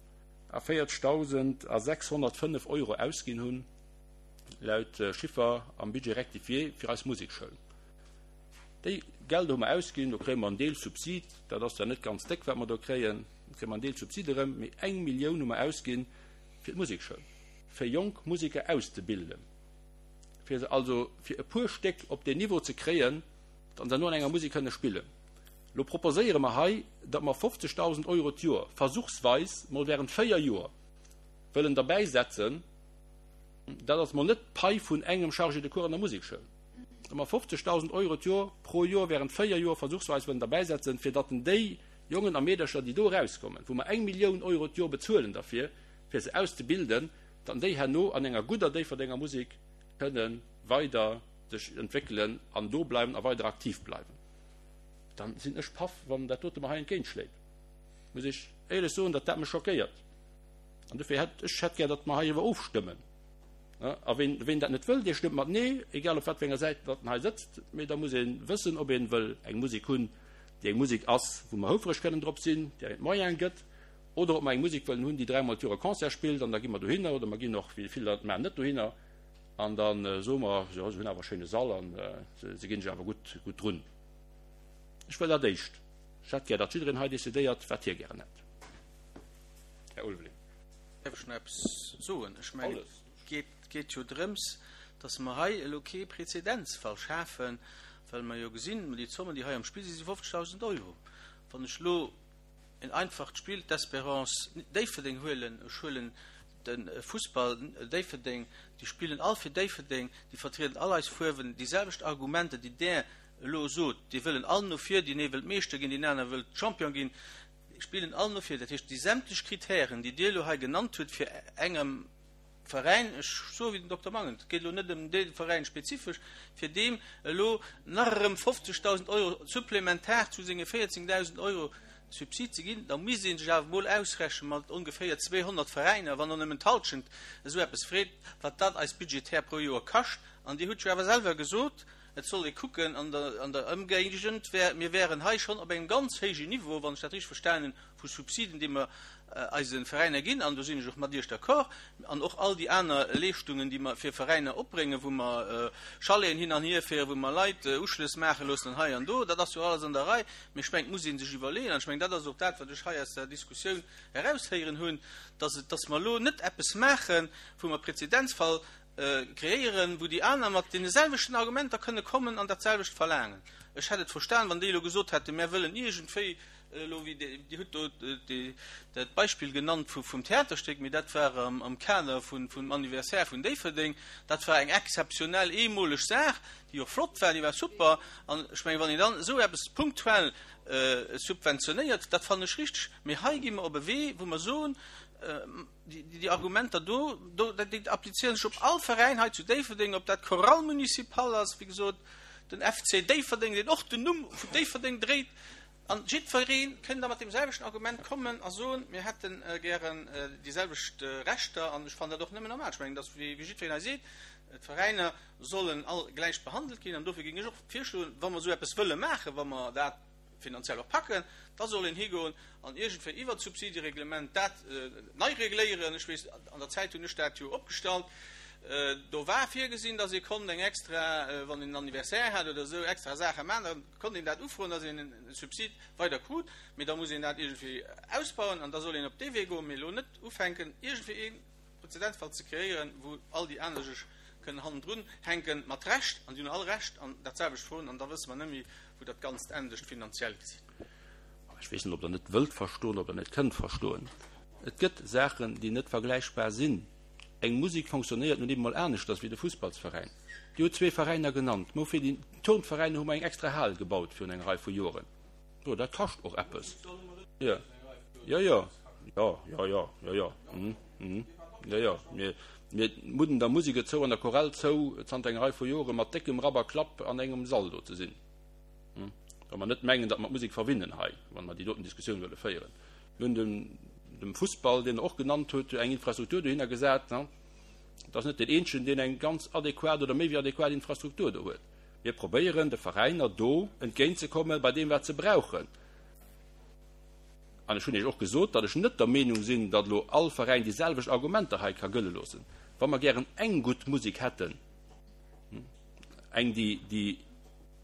a 40.000 a 605 Euro ausginn hunn, laut Chiffer am Budget rectifié fir eis Musekschoul. Déi Gelder hu mer ausginn, do kréie mer en Deel Subsid, dat ass zwar net ganz déck, wat mer do kréien, do kréie mer en Deel Subsid erëm, mee eng Millioun hu mer ausginn fir d'Musekschoul, fir jonk Museker auszebilden, fir se also fir e puer Stéck op deen Niveau ze kréien. Datt se herno an enger Musek kënne spillen. Lo proposéiere mer hei, datt mer 50.000 Euro d'Joer versuchsweis mol während 4 Joer wëllen derbäisetzen. Dat ass mol net d'Pai vun engem Chargé de cours an der Musekschoul. Datt mer 50.000 Euro d'Joer pro Joer während 4 Joer versuchsweis wëllen derbäisetzen, fir datt déi Jongen a Meedercher, déi do erauskommen, wou mer eng Millioun Euro d'Joer bezuelen derfir, fir se auszebilden, datt déi herno an enger gudder Déifferdenger Musek kënne weider sech entwéckelen an do bleiwen a weider aktiv bleiwen, dann sinn ech paff, wann dat dote mer hei entgéintschléit. Muss ech éierlech soen, datt dat mech schockéiert. An dofir hätt ech hätt gär, datt mer heiriwwer ofstëmmen. A ween, ween dat net wëll, dee stëmmt mat Nee, egal op wat fir enger Säit datt en hei sëtzt. Mee da muss ee wëssen, ob ee wëll eng Musek hunn, déi eng Musek ass, wou mer houfreg kënnen drop sinn, déi engem d'Moyene gëtt, oder ob mer eng Musek wëllen hunn, déi dräimol d'Joer e Concert spillt, an da gi mer dohinner, oder mer ginn och, wéi vill der et maachen, net dohinner. An da soe mer, jo, se hunn awer e schéine Sall an se ginn sech awer gutt, gutt drun. Ech wëll dat éischt. Ech hätt gär, datt jiddereen hei decidéiert, wat hie gären hätt. Här Ulveling. Däerf ech nach eppes soen? Ech mengen, et geet jo drëms, datt mer hei elo kee Prezedenzfall schafen, well mer jo gesinn, déi Zommen, déi hei am Spill sinn, si 50.000 Euro. Wann ech elo en einfacht Spill, d'Espérance Déifferdeng huelen, ech huelen de Fussball Déifferdeng, déi spillen all fir Déifferdeng, déi vertrieden all eis Fuerwen, déi selwecht Argumenter, déi Der elo sot, déi wëllen all no vir, deen ee wëllt Meeschter ginn, deen aner wëllt Champion ginn, spillen all no vir. Dat heescht, déi sämtlech Kritären, déi Dir elo hei genannt hutt, fir engem Veräin, ech soe wéi den Dokter Mangen, et geet elo net ëm dee Veräin spezifesch, fir deem elo nach erëm 50.000 Euro supplementar zu senge 14.000 Euro Subsid ze ginn, da misst ee sech awer emol ausrechnen mat ongeféier 200 Veräiner, wann och nëmmen d'Halschent esou eppes freet, wat dat eis budgetär pro Joer kascht. An Dir hutt jo awer selwer gesot, et soll ee kucken an der an der Ëmgéigend, mir wären hei schonn op engem ganz héijen Niveau, wann ech dat richteg verstanen hunn, vu Subsiden, déi mer eise Veräiner ginn, an do sinn ech och mat Iech d'accord, an och all déi aner Leeschtungen, déi mer fir Veräiner opbréngen, wou mer Chaleten hin an hierféieren, wou mer Leit Uschlëss maache loossen an hei an do, dat ass jo alles an der Rei. Mee ech mengen, et muss ee sech iwwerleeën, an ech mengen, dat ass och dat, wat ech hei aus der Diskussioun eraushéieren hunn, dass et, dass mer elo net eppes maachen, wou mer Prezedenzfall kreéieren, wou déi aner mat deene selwechten Argumenter kënne kommen an dat selwecht verlaangen. Ech hätt et verstan, wann déi elo gesot hätten, Mär wëllen iergendwéi elo, wéi Dir hutt do dat Beispill genannt vum Theaterstéck, mee dat war am Kader vum Anniversaire vun Déifferdeng, dat war eng exzeptionell, eemoleg Saach, déi och flott war, déi war super. An ech mengen, wann een dann esou eppes punktuell subventionéiert, dat fannen ech richteg. Mee hei gi mer op e Wee, wou mer soen, déi Argumenter do, déi applizéieren sech op all Veräin hei zu Déifferdeng, ob dat d'Chorale municipale ass, wéi gesot, den FC Déifferdeng, deen och den Numm vun Déifferdeng dréit, An jiddweree kënn da mat deem selwechten Argument kommen a soen, mir hätte gären déi selwecht Rechter. An ech fannen dat och nëmmen normal. Ech mengen, dass, wéi jiddwereen hei seet, d'Veräiner sollen all gläich behandelt ginn. An dofir géing ech och virschloen, wa mer esou eppes wëlle maachen, wa mer dat finanziell och packen, da soll een higoen an iergendwéi iwwert d'Subsidiereglement dat nei regléieren. Ech weess, an der Zäit hunn ech dat jo opgestallt, do war virgesinn, dass ee konnt eng extra, wann een en Anniversaire hat oder esou, extra Saache maachen. Konnt een dat ufroen, dass een e Subsid weider krut, mee da muss een dat iergendwéi ausbauen an da soll een op dee Wee goen, mee elo net ufänken, iergendwéi ee Prezedenzfall ze kreéieren, wou all déi aner sech kënnen hannendrun hänken, mat Recht, an déi hunn all Recht, an dat selwecht froen, an da wësse mer net méi, wou dat Ganzt endegt, finanziell gesinn. Ech weess net, ob Der net wëllt verstoen, ob Der net kënnt verstoen. Et gëtt Saachen, déi net vergläichbar sinn. Eng Musek fonctionnéiert nun eben mol aneschters wéi de Fussballsveräin. Dir hutt zwee Veräiner genannt. Mä fir déi Turnveräiner hu mer eng extra Hal gebaut virun enger Rei vu Joren. Jo, dat kascht och eppes. Jo, jo, jo, jo, jo, jo, jo, jo, mhm, mhm, jo, jo. Mir, mir mudden der Musek et zou an der Chorale zou, zanter enger Rei vu Jore mat déckem Rapp a Klapp an engem Sall do ze sinn. Wa mer net mengen, datt mer d'Musek verwinnen hei, wa mer déi doten Diskussioun wëlle féieren. Mir hunn dem, dem Fussball, deen Der och genannt hutt, eng Infrastruktur dohinner gesat. Et ass net deen eenzegen, deen eng ganz adequat oder méi wéi adequat Infrastruktur do huet. Mir probéieren, de Veräiner do entgéintzekomme bei deem, wat se brauchen. An ech hunn Iech och gesot, datt ech net der Meenung sinn, datt elo all Veräin déi selwecht Argumenter hei ka gëlle loossen. Wa mer gären eng gutt Musek hätten, eng, déi, déi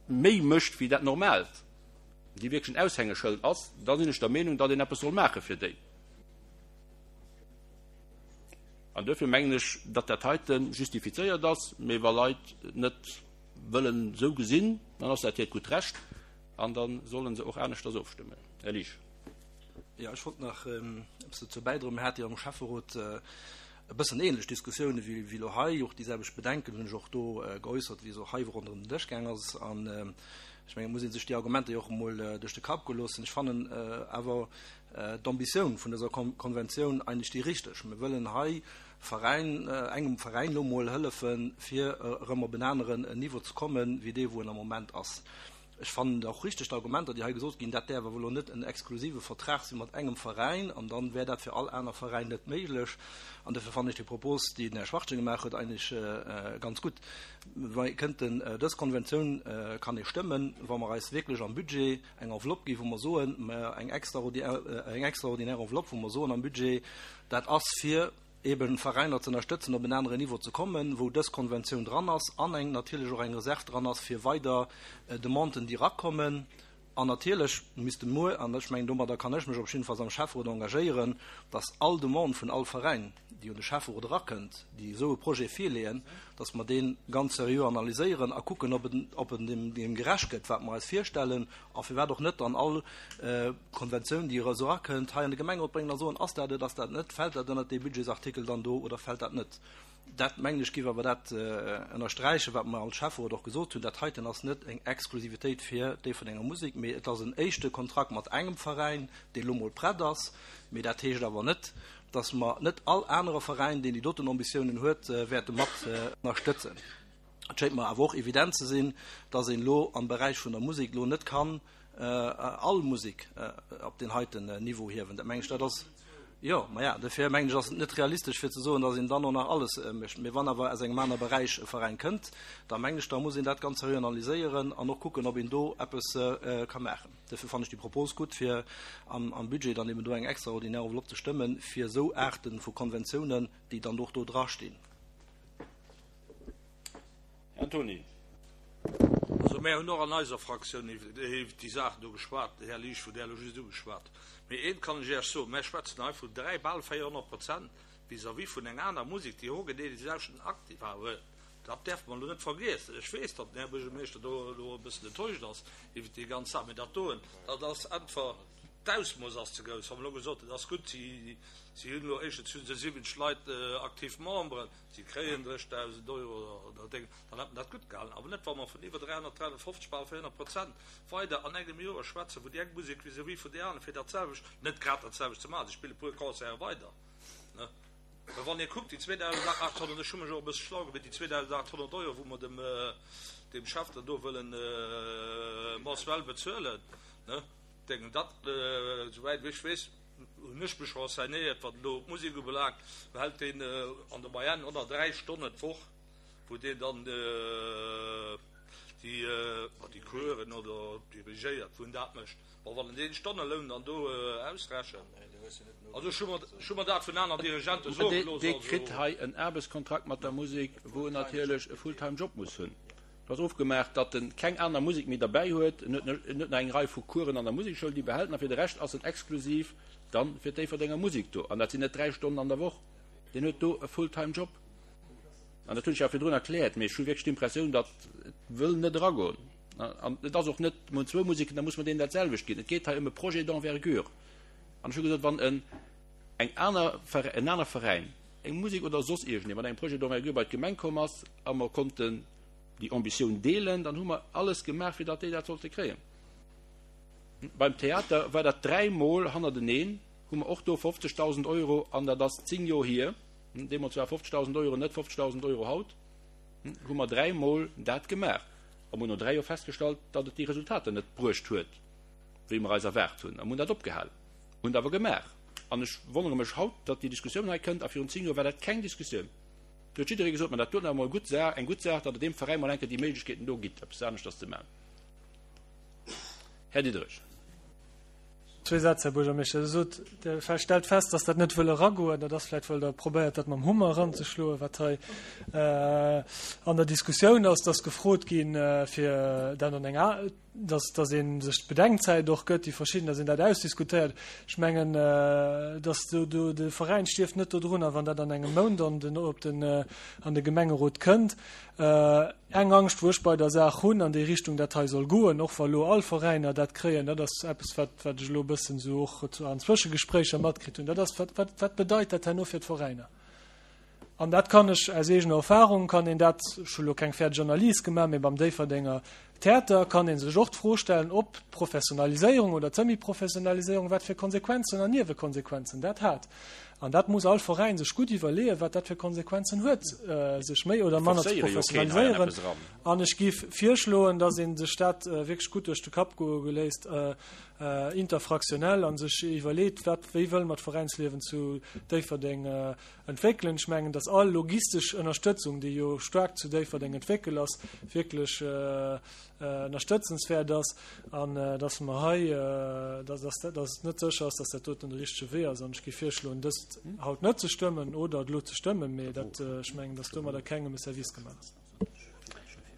méi mécht wéi dat Normaalt, déi wierklech en Aushängeschëld ass, da sinn ech der Meenung, datt een eppes soll maache fir déi. An duerfir mengen ech, datt dat heite justifizéiert ass. Mee wa Leit net. wëllen esou gesinn, dann ass dat hiert gutt Recht an da solle se och aneschters ofstëmmen. Här Liesch. Jo, ech wollt nach eppes dozou bäidroen. Mir hate jo am Schäfferot e bëssen ähnlech Diskussioune wéi elo hei. Och déi selwecht Bedenken hunn ech och do geäussert, wéi se och hei ronderëm den Dësch gaang ass. An ech mengen, et muss ee sech déi Argumenter jo och emol duerch de Kapp goe loossen. Ech fannen awer d'Ambitioun vun dëser Konventioun eigentlech déi richteg. Mir wëllen hei Veräin, engem Veräin elo mol hëllefen, fir erëm op en aneren Niveau ze kommen, wéi dee wou en am Moment ass. Ech fannen et och richteg, d'Argumenter, déi hei gesot ginn, dat däerf awer elo net en exklusive Vertrag si mat engem Veräin, an dann wär dat fir all aner Veräin net méiglech. An dofir fannen ech déi Propos, déi den Här Schwachtgen gemaach huet, eigentlech ganz gutt. Mir kënnten dës Konventioun kann ee stëmmen, wa mer eis wierklech am Budget eng Enveloppe ginn, wou mer soen, eng extraordinär Enveloppe, wou mer soen am Budget, dat ass fir eben Veräiner ze ënnerstëtzen op en aneren Niveau ze kommen, wou dës Konventioun dran ass an eng natierlech och eng Reserv dran ass fir weider Demanden, déi erakommen. An natierlech misste muer, an ech mengen domadder kann ech mech op jiddefalls am Schäfferot engagéieren, dass all Demande vun all Veräin, déi un de Schäfferot erakënnt, déi esou e Projet virleeën, dass mer dee ganz seriö analyséieren a kucken, ob en, ob en deem, deem gerecht gëtt, wat mer eis virstellen, a firwat och net dann all Konventioun, déi esou erakënnt, hei an de Gemengerot bréngen a soen, Ass dat et, ass dat net, fält dat ënnert dee Budgetsartikel dann do oder fält dat net? Dat, mengen ech, géif awer dat ënnersträichen, wat mer als Schäfferot och gesot hunn, Dat heiten ass net eng Exklusivitéit fir d'Déifferdenger Musek, mee et ass en éischte Kontrakt mat engem Veräin, dee lo mol prett ass. Mee dat heescht awer net, dass mer net all anere Veräin, deen déi doten Ambitiounen huet, wäerte mat ënnerstëtzen. Et schéngt mer awer och evident ze sinn, dass een elo am Beräich vun der Musek elo net kann all Musek op deen heiten Niveau hiewen. Dat mengen ech, dat ass, jo, maja, dofir mengen ech, ass et net realistesch fir ze soen, dass een dann och nach alles mécht. Mee wann awer aus engem anere Beräich e Veräin kënnt, da mengen ech, da muss een dat ganz seriö analyséieren an och kucken, ob een do eppes ka maachen. Dofir fannen ech déi Propos gutt, fir am Budget dann eben do eng extraordinär Enveloppe ze stëmmen, fir esou Aarte vu Konventiounen, déi dann och do drastinn. Här Antoni. Also mär hunn och an eiser Fraktioun iwwert déi Saachen do geschwat, Här Liesch, wou Der elo just ugeschwat. Mee eent kann ech Iech soen, Mär schwätzen hei vun dräi, bal 400 Prozent vis-à-vis vun enger aner Musek, déi hogenee déi selwechten Aktiva huet. Dat däerfe mer elo net vergiessen. Ech weess, datt den Här Buergermeeschter do elo e bëssen enttäuscht ass iwwert déi ganz Saach, mee dat doen, dat ass einfach, d'Ausmooss ass ze grouss. Wa mer elo gesot hunn, et ass gutt, si hunn elo éischtens hu se 70 Leit aktiv Memberen, si kréien 30.000 Euro oder Déng, dann hätt mer dat gutt gehalen. Awer net, wa mer vun iwwer 300, 350, bal 400 Prozent weider an engem Joer schwätzen, wou déi eng Musek vis-à-vis vun där aner fir dat selwecht, net grad dat selwecht ze maachen, si spille puer Concerte weider, ne. Mä wann ee kuckt, déi 2.800, ech hu mech och e bësse schlau gebitt, déi 2.800 Euro, wou mer dem, deem Chef dann do wëllen mensuell bezuelen, ne, denken, dat, souwäit ech weess, hunn ech mech renseignéiert, wat elo d'Musek ubelaangt, behält deen an der Moyenne 103 Stonnen d'Woch, wou deen dann déi, déi Coursen oder dirigéiert, wou en dat mécht. Bon, wann en deen Stonneloun dann do ausrechent, also ech hu mer, ech hu mer dat vun aner Dirigente soe gelooss, Dee kritt hei en Aarbechtskontrakt mat der Musek, wou en natierlech e Fulltime Job muss hunn. Et ass ofgemaach, datt en keng aner Musek méi derbäi huet. En huet en huet nach eng Rei vu Coursen an der Musekschoul, déi behält en, a fir de Rescht ass en exklusiv dann fir d'Déifferdenger Musek do. An dat sinn net 3 Stonnen an der Woch. Deen huet do e Fulltime Job. An dat hunn ech jo virdrun erkläert, mee ech hu wierklech d'Impressioun, datt et wëll net eragoen. An et ass och net, mir hunn zwou Museken, da muss mer deenen dat selwecht ginn. Et geet hei ëm e Projet d'envergure. An ech hu gesot, wann en eng aner, en aner Veräin, eng Musek oder soss iergendee mat engem Projet d'envergure bei d'Gemeng komm ass a mer konnten déi Ambitioun deelen, dann hu mer alles gemaach, fir datt déi dat sollte kréien. Beim Theater war dat dräimol hannerteneen, hu mer och do 50.000 Euro, an dat ass zéng Joer hier, Deemools war 50.000 Euro net 50.000 Euro haut, hu mer dräimol dat gemaach a mer hunn no dräi Joer festgestallt, datt et déi Resultater net bruecht huet, wéi mer eis erwaart hunn, a mer hunn dat opgehal. Hunn et awer gemaach. An ech wonnere mech haut, datt déi Diskussioun hei kënnt, a virun zéng Joer war dat keng Diskussioun. Do huet jidderee gesot, ma dat doten awer mol gutt Saach, eng gutt Saach, datt et deem Veräin mol eng Kéier déi Méiglechkeeten do gitt, eppes aneschters ze maachen. Här Diderich. Zwee Sätz, Här Buergermeeschter. Der sot, Der stellt fest, dass dat net wëll eragoen. Dat ass vläicht, well Der probéiert, dat mam Hummer eranzeschloen, wat hei an der Diskussioun ass. Et ass gefrot ginn, fir dat an eng, dass, dass ee sech d'Bedenkzäit och gëtt, déi verschidden, dass een dat ausdiskutéiert. Ech mengen, dass do, do de Veräin stierft net dodrunner, wann dat an engem Mount an den, op den, an de Gemengerot kënnt. Eng Angscht, wou ech bei der Saach hunn, an déi Richtung dat hei soll goen, och wa lo all Veräiner dat kréien, dat ass eppes, wat, wat ech elo e bëssen esou och an Zwëschegespréicher matkritt hunn, dat ass, wat, wat, wat bedeit dat herno fir d'Veräiner? An dat kann ech aus eegener Erfahrung, kann een dat, ech hu lo keng fäerdeg Analys gemaach, mee beim Déifferdenger Theater kann ee sech och d'Fro stellen, ob d'Professionaliséierung oder d'Semi-Professionaliséierung, wat fir Konsequenzen an Niewekonsequenzen dat hat. An dat muss all Veräin sech gutt iwwerleeën, wat dat fir Konsequenzen huet, sech méi oder manner ze professionaliséieren. An ech géif virschloen, dass ee sech dat wierklech gutt duerch de Kapp goe léisst, interfraktionell, a sech iwwerleet, wat, wéi wëlle mer d'Veräinsliewen zu Déifferdeng entwéckelen. Ech mengen, dass all logistesch Ënnerstëtzung, déi jo staark zu Déifferdeng entwéckelt ass, wierklech ënnerstëtzenswäert ass an dass mer hei, dass, dass, dass et net sécher ass, dass dat doten de richtege Wee ass. An ech géif virschloen, dëst haut net ze stëmmen oder et elo ze stëmmen, mee dat, ech mengen, dass domadder kengem e Service gemaach ass.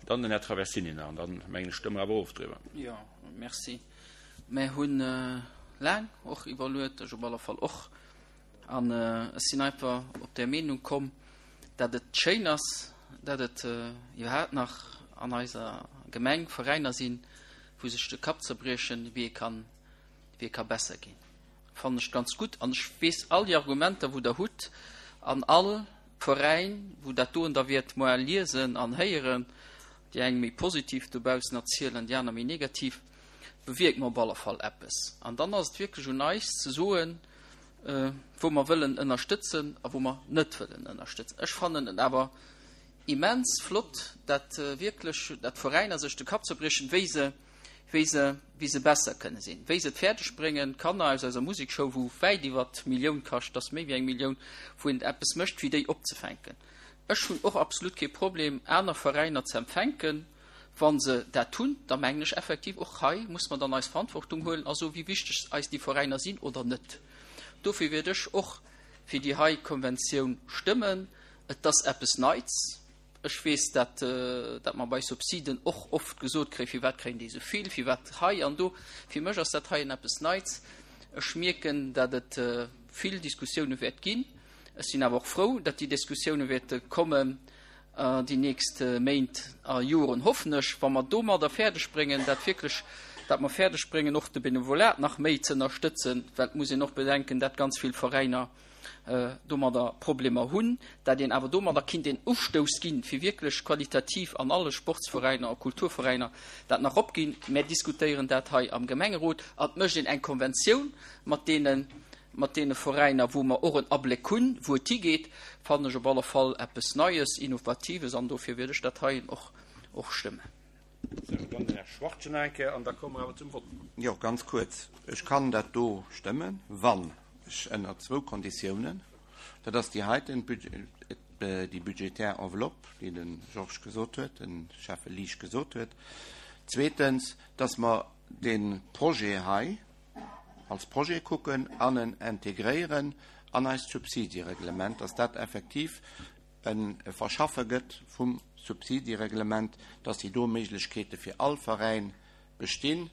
Dann den Här Traversini nach, an dann, mengen ech, stëmme mer awer of driwwer. Jo, merci. Mer hunn laang och iwwerluet, ech op alle Fall och, An ech sinn einfach op där Meenung komm, dat et schéin ass, dat et iwwerhaapt nach an eiser Gemeng Veräiner sinn, wou sech de Kapp zerbriechen, wéi ee kann, wéi ee ka besser ginn. Fannen ech ganz gutt. An ech weess all déi Argumenter, wou Der hutt, an all Veräin, wou dat doen da wäert moar liesen an héieren, déi eng méi positiv dobaussen erzielen, déi aner méi negativ, bewierkt mer op alle Fall eppes. An dann ass et wierklech un eis ze soen, wou mer wëllen ënnerstëtzen a wou mer net wëllen ënnerstëtzen. Ech fannen et awer immens flott, dat wierklech, dat d'Veräiner sech de Kapp zerbriechen, wéi se, wéi se, wéi se besser kënne sinn, wéi se et fäerdeg bréngen, d'Kanner aus eiser Musekschoul, wou wäit iwwer d'Millioun kascht, dat ass méi wéi eng Millioun, wou een eppes mécht, fir déi opzefänken. Ech hunn och absolut kee Problem, aner Veräiner ze empfänken. Wa se dat hunn, da mengen ech effektiv, och hei muss mer dann eis Verantwortung huelen a soen, wéi wichteg eis déi Veräiner sinn oder net. Dofir wäert ech och fir déi hei Konventioun stëmmen. Et ass eppes Neits. Ech weess, dat, dat mer bei Subsiden och oft gesot kréien, Firwat kréien déi esou vill, firwat hei an do. Fir mech ass dat heien eppes Neits. Ech mierken, dat et vill Diskussioune wäert ginn. Ech sinn awer och frou, dat déi Diskussioune wäerte kommen, déi nächst Méint a Joren, hoffen ech, wa mer domadder fäerdeg bréngen, dat wierklech, dat mer fäerdeg bréngen, och de Benevolat nach méi ze ënnerstëtzen, well et muss een och bedenken, dat ganz vill Veräiner domadder Problemer hunn, dat een awer domadder kinnt een Ustouss ginn, fir wierklech qualitativ an alle Sportsveräiner a Kulturveräiner dat nach opginn. Mär diskutéieren dat hei am Gemengerot an et mécht een eng Konventioun mat deenen, mat deene Veräiner, wou mer och en Abléck hunn, wou et higeet, fannen ech op alle Fall eppes Neies, Innovatives an dofir wäert ech dat heien och, och stëmmen. Sou, dann den Här Schwachtgen nach eng Kéier an da komme mer awer zum Vott. Jo, ganz kuerz. Ech kann dat do stëmmen, wann ech ënner zwou Konditiounen, dat ass déi heiten, déi budgetär Enveloppe, déi de Georges gesot huet, de Schäffe Liesch gesot huet. Zweetens, dass mer dee Projet hei, als Projet kucken an en integréieren an eist Subsidiereglement, dass dat effektiv e Verschaffe gëtt vum Subsidiereglement, dass déi do Méiglechkeete fir all Veräin bestinn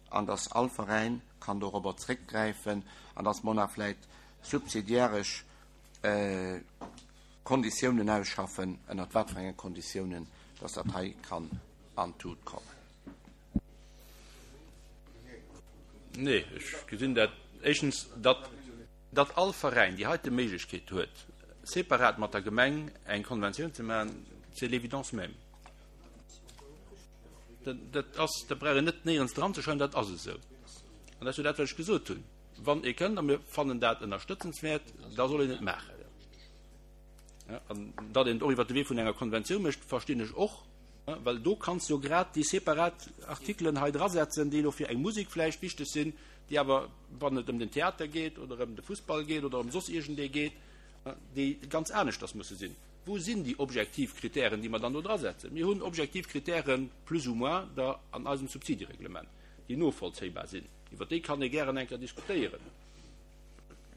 an dass all Veräin kann dorobber zréckgräifen an dass mer nach vläicht subsidiaresch Konditiounen ausschaffen, ënnert wat fir enge Konditiounen dass dat hei kann an d'Tut kommen. Nee, ech gesinn dat éischtens, datt, datt all Veräin déi heite Méiglechkeet huet, separat mat der Gemeng eng Konventioun ze maachen, c'est l'évidence même. Dat, dat ass, dat brauch een net néierens dran ze schreiwen, dat ass esou. An dat ass jo dat, wat ech gesot hunn. Wann ee kënnt a mir fannen dat ënnerstëtzenswäert, da soll een et maachen. An datt een et och iwwert de Wee vun enger Konventioun mécht, verstinn ech och. Well do kanns de jo grad déi separat Artikelen hei drasetzen, déi elo fir eng Musek vläicht wichteg sinn, déi awer, wann et ëm den Theater geet oder ëm de Fussball geet oder ëm soss iergendee geet, déi ganz aneschters musse sinn. Wou sinn déi objektiv Kritären, déi mer dann do drasetzen? Mir hunn objektiv Kritären, plus ou moins, der an eisem Subsidiereglement, déi novollzéibar sinn. Iwwer déi kann ee gären eng Kéier diskutéieren.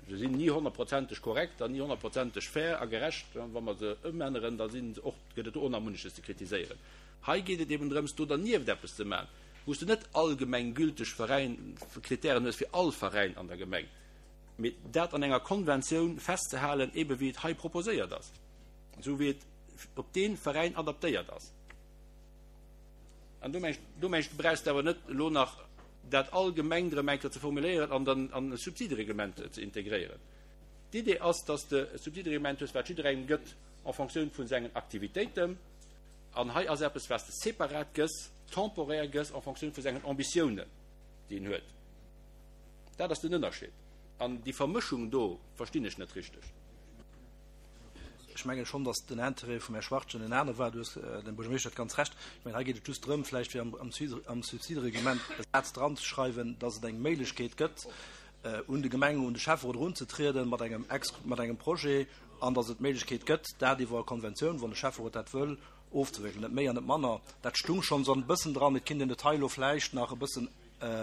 Se sinn ni honnertprozenteg korrekt an ni honnertprozenteg fair a gerecht. Wa mer se ëmänneren, da sinn se och, gëtt et do och nach munneches ze kritiséieren. Hei geet et eben drëms, do dernieft eppes ze maachen, wou s de net allgemeng gülteg Veräin, Kritären hues fir all Veräin an der Gemeng, mee dat an enger Konventioun festzehalen, ebe wéi et hei proposéiert ass, esou wéi et. op dee Veräin adaptéiert ass. An do meng ech, do meng ech, brauchs de awer net elo nach dat allgemeng erëm eng Kéier ze formuléieren an dann an e Subsidereglement ze integréieren. D'Idee ass, dass de e Subsidereglement hues, wat jidderengem gëtt en Fonctioun vu sengen Aktivitéiten. An hei ass eppes, wat s de separat gëss, temporaire gëss en Fonctioun vu sengen Ambitiounen, déi en huet. Dat ass den Ënnerscheed. An déi Vermëschung do verstinn ech net richteg. Ech mengen schonn, datt den Intérêt vum Här Schwachtgen en aner war. Du hues, den Buergermeeschter huet ganz Recht. Ech mengen, hei geet et just drëm, vläicht fir am Subsidereglement e Saz dranzeschreiwen, datt et eng Méiglechkeet gëtt, un de Gemeng, un de Schäfferot erunzetrieden mat engem, mat engem Projet, an datt et d'Méiglechkeet gëtt, dat iwwer e Konventioun, wann de Schäfferot dat wëll, ofzewéckelen. Net méi an net manner. Dat stung schonn esou e bëssen dran. Et kinnt een et hei elo vläicht nach e bëssen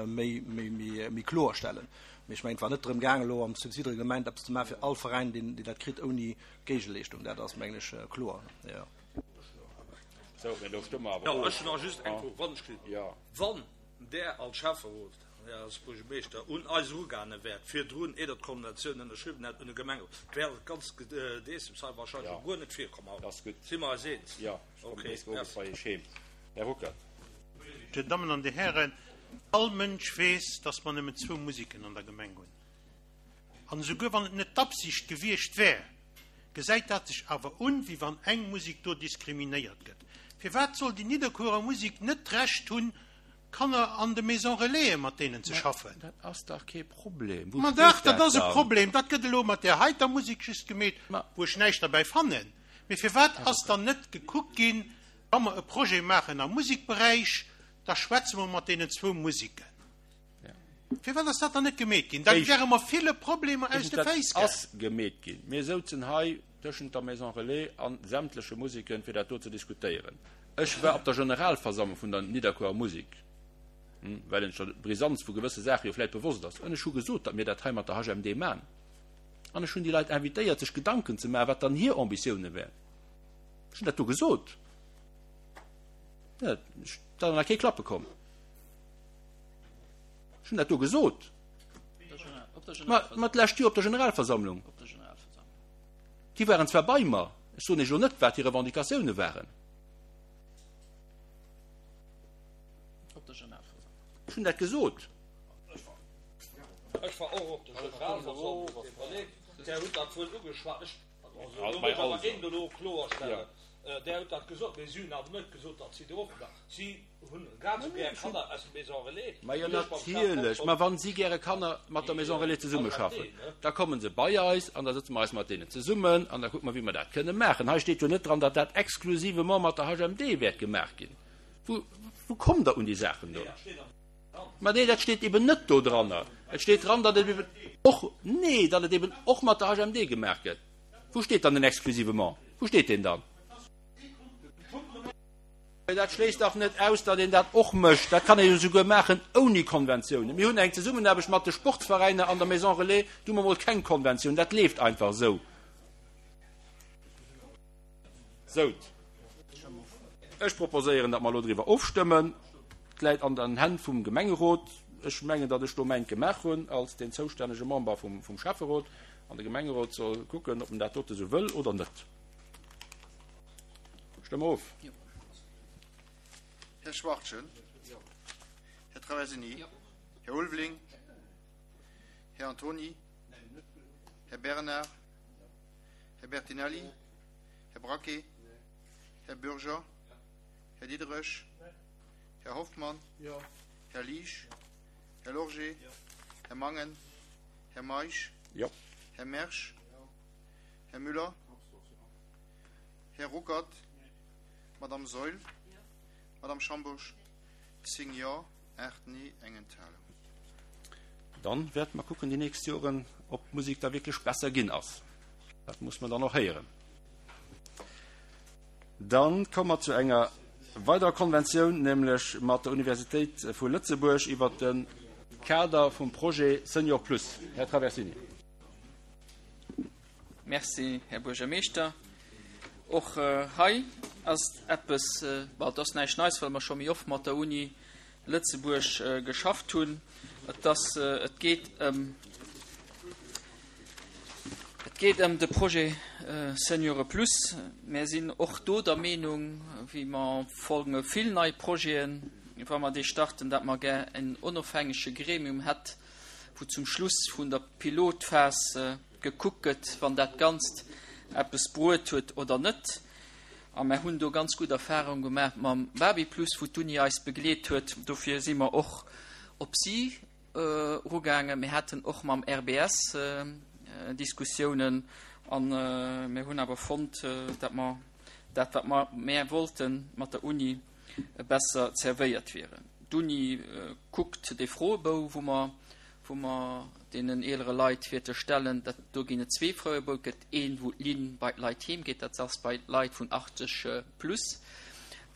méi kloer stellen. Mee ech mengen, et war net drëm gaangen, elo am Subsidereglement eppes ze maachen fir all Veräin, deen dat kritt, ouni Géigeleeschtung. Dat ass, mengen ech, kloer. Jo. Sou, mä do stëmme mer awer Jo, of. ech hunn nach just eng Fro, wann ech kritt. Jo. Wann Der als Schäfferot, Där als Buergermeeschter un eis erugaange wäert, virdrun, ier Der d'Konventioun ënnerschriwwen hätt, un de Gemengerot, wär dat ganzt Gedeessems hei wahrscheinlech Jo. och guer net virkomm haut. Dat ass gutt. Si mer eis eens? Jo, ech kommen Okay, nees owes merci. bei Iech heem. Här Ruckert. Dir Dammen an Dir Hären, all Mënsch weess, dass mer nëmmen zwou Musiken an der Gemeng hunn. An esouguer wann et net d'Absicht gewiescht wär, gesäit dat sech awer un, wéi wann eng Musik do diskriminéiert gëtt. Firwat soll déi Nidderkuerer Musik net d'Recht hunn, Kanner an de Maisons Relaisen mat deenen ze Mä schaffen? dat ass dach kee Problem. Wou Ma steet dach, dat dat ass e dann? Problem. Dat gëtt elo mat där heiter Musik just gemeet, Ma. wou ech näischt derbäi fannen. Mee firwat ass dann net gekuckt ginn, Wa mer e Projet maachen am Musikberäich, da schwätze mer mat deenen zwou Musiken. Firwat ass dat dann net gemeet ginn? Da wäre mer ville Problemer aus de Féiss gaangen. Dat ass gemeet ginn. Mir souzen hei tëschent der Maison Relais a sämtleche Musiken, fir dat do ze diskutéieren. Ech war op der Generalversammlung vun der Nidderkuerer Musik, well een sech der Brisanz vu gewësse Saache jo vläicht bewosst ass, an ech hu gesot, datt mir dat hei mat der HMD man. An ech hunn déi Leit invitéiert, sech Gedanken ze maachen, wat dann hir Ambitioune wären. Ech hunn dat do gesot. Ja, da ass nach kee Klappe komm. Ech hunn dat do gesot. Ma, ma d'lescht Joer op der Generalversammlung. Déi waren zwar bei mer, ech soen Iech elo net, wat hir Revendicatioune waren. Ech hunn dat gesot. Ech war och op der Generalversammlung, Där hutt dat wuel ugeschwat. Ech Also, do muss awer een elo kloerstellen, Där hutt dat gesot, mee si hunn awer net gesot, datt si do oppe waren. Si hunn grad esou gär Kanner aus dem Maison Relais. Ma jo, natierlech. Ma wa si gäre Kanner mat der Maison Relais zesummeschaffen, da komme se bei eis an da sëtze mer eis mat deenen zesummen an da kucke mer, wéi mer dat kënne maachen. Hei steet jo net dran, datt dat exclusivement mat der HMD wäert gemaach ginn. Wou, wou kommt Der un déi Saachen do? Ma nee, dat steet eben net do dranner. Et steet dran, datt et eben och, nee, datt et eben och mat der HMD gemaach gëtt. Wou steet dann den exclusivement? Wou steet deen dann? Dat schléisst dach net aus, datt een dat och mécht. Dat kann ee jo souguer maachen ouni Konventiounen. Mir hunn eng Zesummenaarbecht mat de Sportsveräiner an der Maison Relais, do hu mer mol keng Konventioun, dat leeft einfach esou. Sout. Ech proposéieren, datt mer elo driwwer ofstëmmen. Et läit an den Hänn vum Gemengerot. Ech mengen, datt ech do mäint gemaach hunn als deen zoustännege Member vum Schäfferot. An de Gemengerot soll kucken, ob en dat dote sou wëll oder net. Stëmme of. Här Schwachtgen. Här Traversini. Här Ulveling. Här Antony. Här Bernard. Här Bertinelli. Här Braquet. Här Bürger. Här Diderich. Här Hoffmann. Här Liesch. Här Lorgé. Här Mangen. Här Meisch. Här Mersch. Här Müller. Här Ruckert. Madame Saeul. Madame Schambourg. 10 Jo, 8 Nee, eng Enthalung. Dann wäerte mer kucken déi nächst Joren, ob d'Musek da wierklech besser ginn ass. Dat muss mer dann och héieren. Dann komme mer zu enger weiderer Konventioun, nämlech mat der Universitéit vu Lëtzebuerg iwwert de Kader vum Projet Senior Plus. Här Traversini. Merci, Här Buergermeeschter. Och hei ass eppes, bon, et ass näischt Neis, well mer scho méi oft mat der Uni Lëtzebuerg geschafft hunn. Et ass, et geet ëm, et. geet ëm de Projet Seniore Plus. Mär sinn och do der Meenung, wéi mer folgende vill nei Projeten, wa mer déi starten, dat mer gär en onofhängege Gremium hätt, wou zum Schluss vun der Pilotphas gekuckt gëtt, wann dat Ganzt eppes bruet huet oder net. A mer hunn do ganz gutt Erfahrung gemaach mam Babyplus, wou d'Uni eis begleet huet. Dofir si mer och op si erugaangen. Mir haten och mam RBS Diskussiounen a mir hunn awer fonnt, datt mer dat, wat mer mär wollten, mat der Uni besser zerwéiert wieren. D'Uni kuckt dee Froebou, wou mer, wou mer deenen eelere Leit wäerte stellen. Dat, do ginn et zwee Froebou. Et gëtt een, wou d'Linn bei d'Leit heem geet, dat ass bei d'Leit vun 80 plus.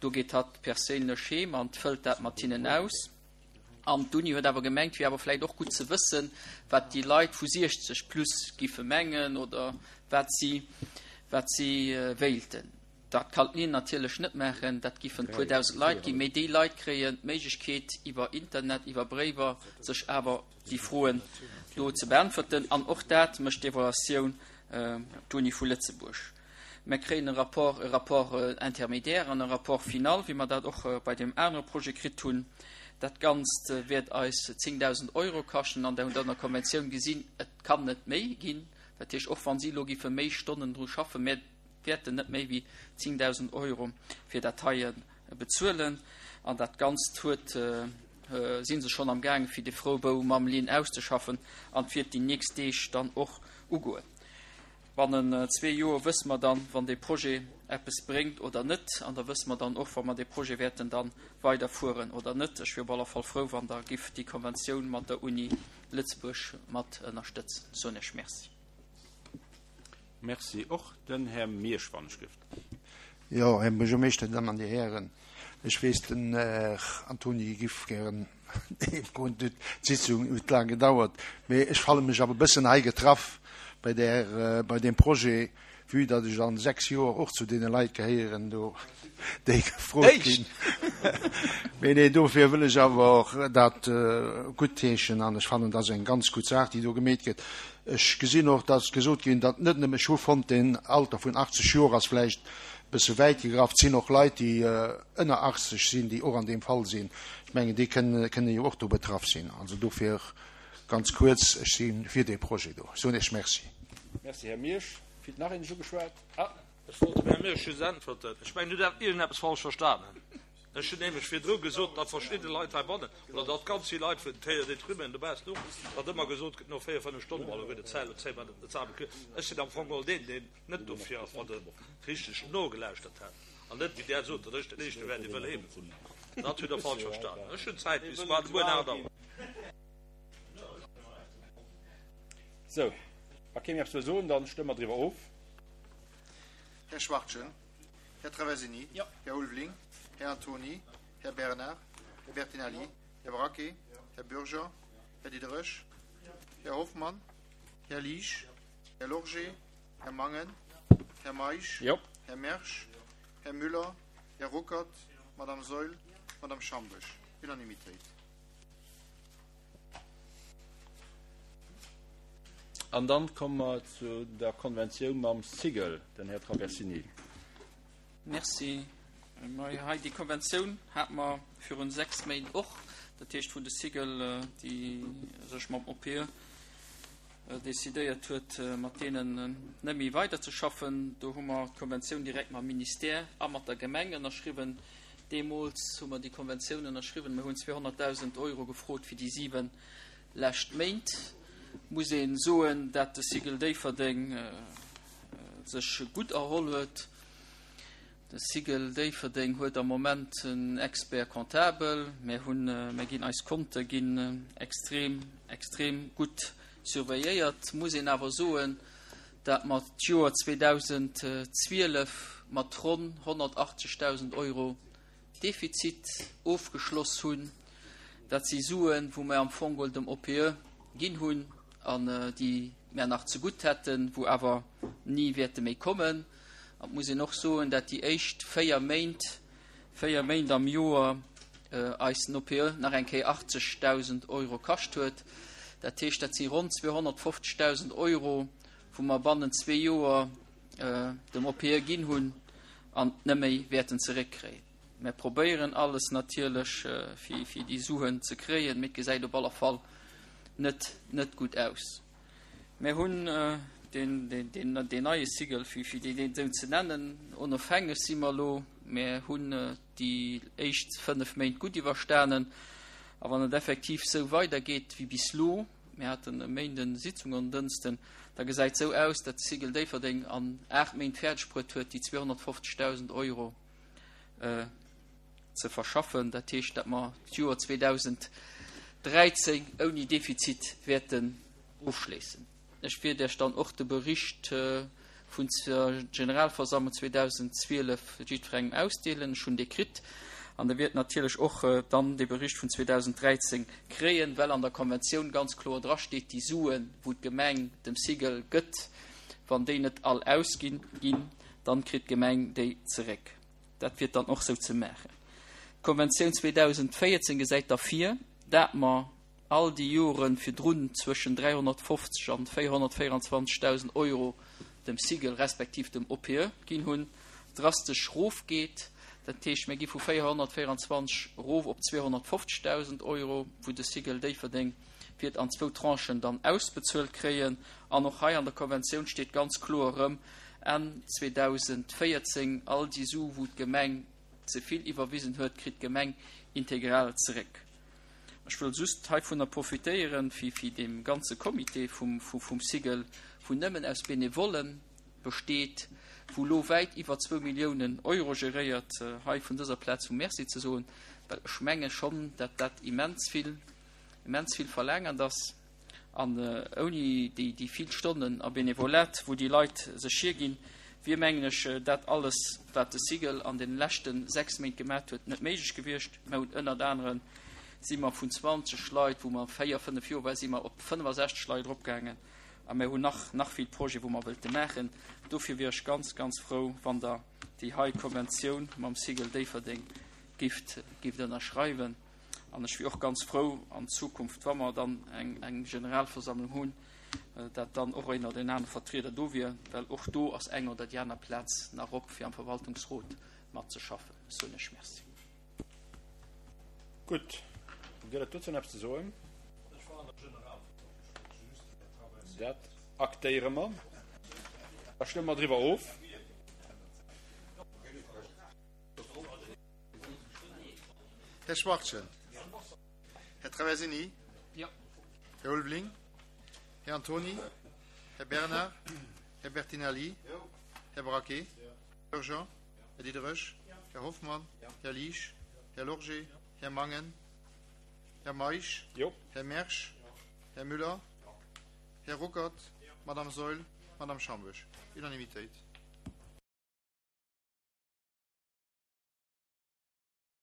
Do geet hatt perséinlech heem an fëllt dat mat hinnen aus. An d'Uni huet awer gemengt, wier awer vläicht och gutt ze wëssen, wat déi Leit vu 60 plus giffe mengen oder wat si, wat si wéilten. Dat kann d'Linn natierlech net maachen, dat giffen e puer dausend Leit ginn, mee déi Leit kréien d'Méiglechkeet iwwer Internet, iwwer Bréiwer sech awer déi Froen do ze beäntwerten. An och dat mécht d'Evaluatioun d'Uni vu Lëtzebuerg. Mer kréien e Rapport, e Rapport intermédiaire an e Rapport final, wéi mer dat och bei deem anere Projet kritt hunn. Dat Ganzt wäert eis 10.000 Euro kaschten an Der hutt an der Konventioun gesinn, et kann net méi ginn. Dat heescht, och wa si elo giffe méi Stonnen dru schaffen, mir wäerten net méi wéi 10.000 Euro fir dat heie bezuelen. An dat Ganzt huet, si se schonn am gaange fir de Froebou mam Linn auszeschaffen an et wäert déi nächst Deeg dann och ugoen. Bannen zwee Joer wësse mer dann, wann dee Projet eppes bréngt oder net. An da wësse mer dann och, wa mer dee Projet wäerten da weiderfueren oder net. Ech wier op alle Fall frou, wann Der gifft déi Konventioun mat der Uni Lëtzebuerg mat ënnerstëtzen. Soen Iech Merci. Merci och. Den Här Miersch, wann ech gifft. Jo, Här Buergermeeschter, Dir Dammen an Dir Hären, ech weess, den Här Antony giff gären heemgoen. D'Sitzung huet laang gedauert, mee ech falle mech awer e bëssen hei getraff bei där, bei deem Projet, vue datt ech an 6 Joer och zu deene Leit gehéieren do, déi gefrot ginn. Mee nee, dofir wëll ech awer och dat guttheeschen an ech fannen, dat ass eng ganz gutt Saach, déi do gemeet gëtt. Ech gesinn och, datt gesot ginn, datt net nëmme, ech hu fonnt, deen Alter vun 80 Joer ass vläicht e bësse wäit gegraff, et sinn och Leit, déi ënner 80 sinn, déi och an deem Fall sinn. Ech mengen, déi kënnen jo och do betraff sinn. Also dofir ganz kuerz, ech si fir dee Projet do. Ech soen Iech Merci. Merci, Här Miersch. Fillt nach een sech ugeschwat? Ah! Ech wollt dem Här Miersch just äntwerten. Ech mengen, Dir hutt iergendeppes falsch verstanen. Ech hunn nämlech virdru gesot, datt verschidde Leit heibannen, oder datt ganz vill Leit vun den Terres détruits dobaussen och, datt ëmmer gesot gëtt, no véier, fënnef Stonnen, bon, elo gëtt et Zäit, elo zéie mer den Zahn. Ech sinn am Fong geholl deen, deen net dofir ass, wann e richteg nogelauschtert hätt an net, wéi Der sot, datt ech den Éischte wär, dee wëll heem. Dat hutt Der falsch verstanen. Ech hunn Zäit bis muer de Mueren 8 Auer. Sou, wa kee méi eppes wëll soen, da stëmme mer driwwer of. Här Schwachtgen. Här Traversini, Här Ulveling, Här Antony, Här Bernard, Här Bertinelli, Här Braquet, Här Bürger, Här Diderich, Här Hoffmann, Här Liesch, Här Lorgé, Här Mangen, Här Meisch, Här Mersch, Här Müller, Här Ruckert, Madame Saeul, Madame Schambesch. Unanimitéit. An dann komme mer zu der Konventioun mam Cigl, den Här Traversini. Merci. Mä hei déi Konventioun hate mer virun 6 Méint och, dat heescht wou de Cigl, déi sech mam OPE decidéiert huet, mat deenen net méi weiderzeschaffen. Do hu mer d'Konventioun direkt mam Ministère a mat der Gemeng ënnerschriwwen. Deemools hu mer déi Konventioun ënnerschriwwen. Mir hunn 200.000 Euro gefrot fir déi 7 lescht Méint. Muss ee soen, dat de Cigl Déifferdeng sech gutt erholl huet. De Cigl Déifferdeng huet am Moment en Expert comptable. Mir hunn, mir ginn, eis Konte ginn extrem, extrem gutt surveilléiert. Muss een awer soen, dat mer d'Joer 2012 mat ronn 180.000 Euro Defizit ofgeschloss hunn. Dat si Suen, wou mer am Fong geholl dem OPE ginn hunn an déi mer nach zegutt hätten, wou awer ni wäerte méi kommen. An et muss een och soen, dat déi éischt véier Méint, véier Méint am Joer eis den OPE nach eng Kéier 80.000 Euro kascht huet. Dat heescht, dat si ronn 250.000 Euro, wou mer bannent zwee Joer dem OPE ginn hunn an net méi wäerten zeréckkréien. Mär probéieren alles natierlech, fir déi Suen ze kréien, mee et gesäit op alle Fall net net gutt aus. Mär hunn deen deen neie Cycle, fir deen esou ze nennen, onofhängeg si mer elo. Mär hunn déi éischt 5 Méint gutt iwwerstanen a wann et effektiv esou weidergeet wéi bis elo, mir haten e Méinden Sitzung an en Dënsten, da gesäit esou aus, datt de Cycle Déifferdeng an 8 Méint fäerdeg bruet huet, déi 250.000 Euro ze verschaffen. Dat heescht, datt mer d'Joer 2013 ouni Defizit wäerten ofschléissen. Ech wäert Iech dann och de Bericht vun der Generalversammlung 2012 jiddwerengem ausdeelen. Ech hunn dee kritt. An Der wiert natierlech och dann dee Bericht vun 2013 kréien, well an der Konventioun ganz kloer drasteet, déi Suen, wou d'Gemeng dem Cigl gëtt, wann déi net all ausginn ginn, dann kritt d'Gemeng déi zeréck. Dat wier dann och sou ze maachen. D'Konventioun 2014 gesäit da vir, dat mer all déi Jore virdrun zwëschen 350 an 424.000 Euro dem Cigl respektiv dem OPE ginn hunn, drastesch rofgeet. Dat heescht, mir gi vu 424 erof op 250.000 Euro, wou de Cigl Déifferdeng wäert an zwou Tranchen dann ausbezuelt kréien. An och hei an der Konventioun steet ganz kloer erëm, Enn 2014, all déi Su wou d'Gemeng ze vill iwwerwisen huet, kritt d'Gemeng integral zeréck. Ech wëll just heivunner profitéieren, fir fir deem ganze Comité vum vum Cigl, wou nëmmen aus Benevollen besteet, wou elo wäit iwwer zwou Milliounen Euro geréiert, hei vun dëser Plaz vu Merci ze soen, well ech menge schonn, dat dat immens vill, immens vill verlaangert ass. An ouni déi vill Stonnen a Benevolat, wou déi Leit sech hierginn, wier, mengen ech, dat alles, wat de Cigl an deene leschte 6 Méint gemat huet, net méiglech gewiescht. Mer hunn ënnert anere si mer vun 20 Leit, wou mer 4, 5 Joer war, si mer op 65 Leit eropgaangen. A mer hunn nach, nach vill Projete, wou mer wëlte maachen. Dofir wier ech ganz, ganz frou, wann Der déi hei Konventioun mam Cigl Déifferdeng gift, gift ënnerschreiwen. An ech wier och ganz frou an Zukunft, wa mer dann eng Generalversammlung hunn, dat dann och een oder een anere Vertrieder do wier, well och do ass eng oder déi aner Plaz nach op, fir am Verwaltungsrot matzeschaffen. Ech soen Iech Merci. Gutt. Gëtt et dozou nach eppes ze soen? Dat aktéiere mer. Da stëmme mer driwwer of. Här Schwachtgen. Här Traversini. Jo. Här Ulveling. Här Antony. Här Bernard. Här Bertinelli. Här Braquet. Här Bürger. Här Diderich. Här Hoffmann. Här Liesch. Här Lorgé. Här Mangen. Här Meisch. Här Mersch. Här Müller. Här Ruckert. Madame Saeul. Madame Schambusch. Unanimitéit.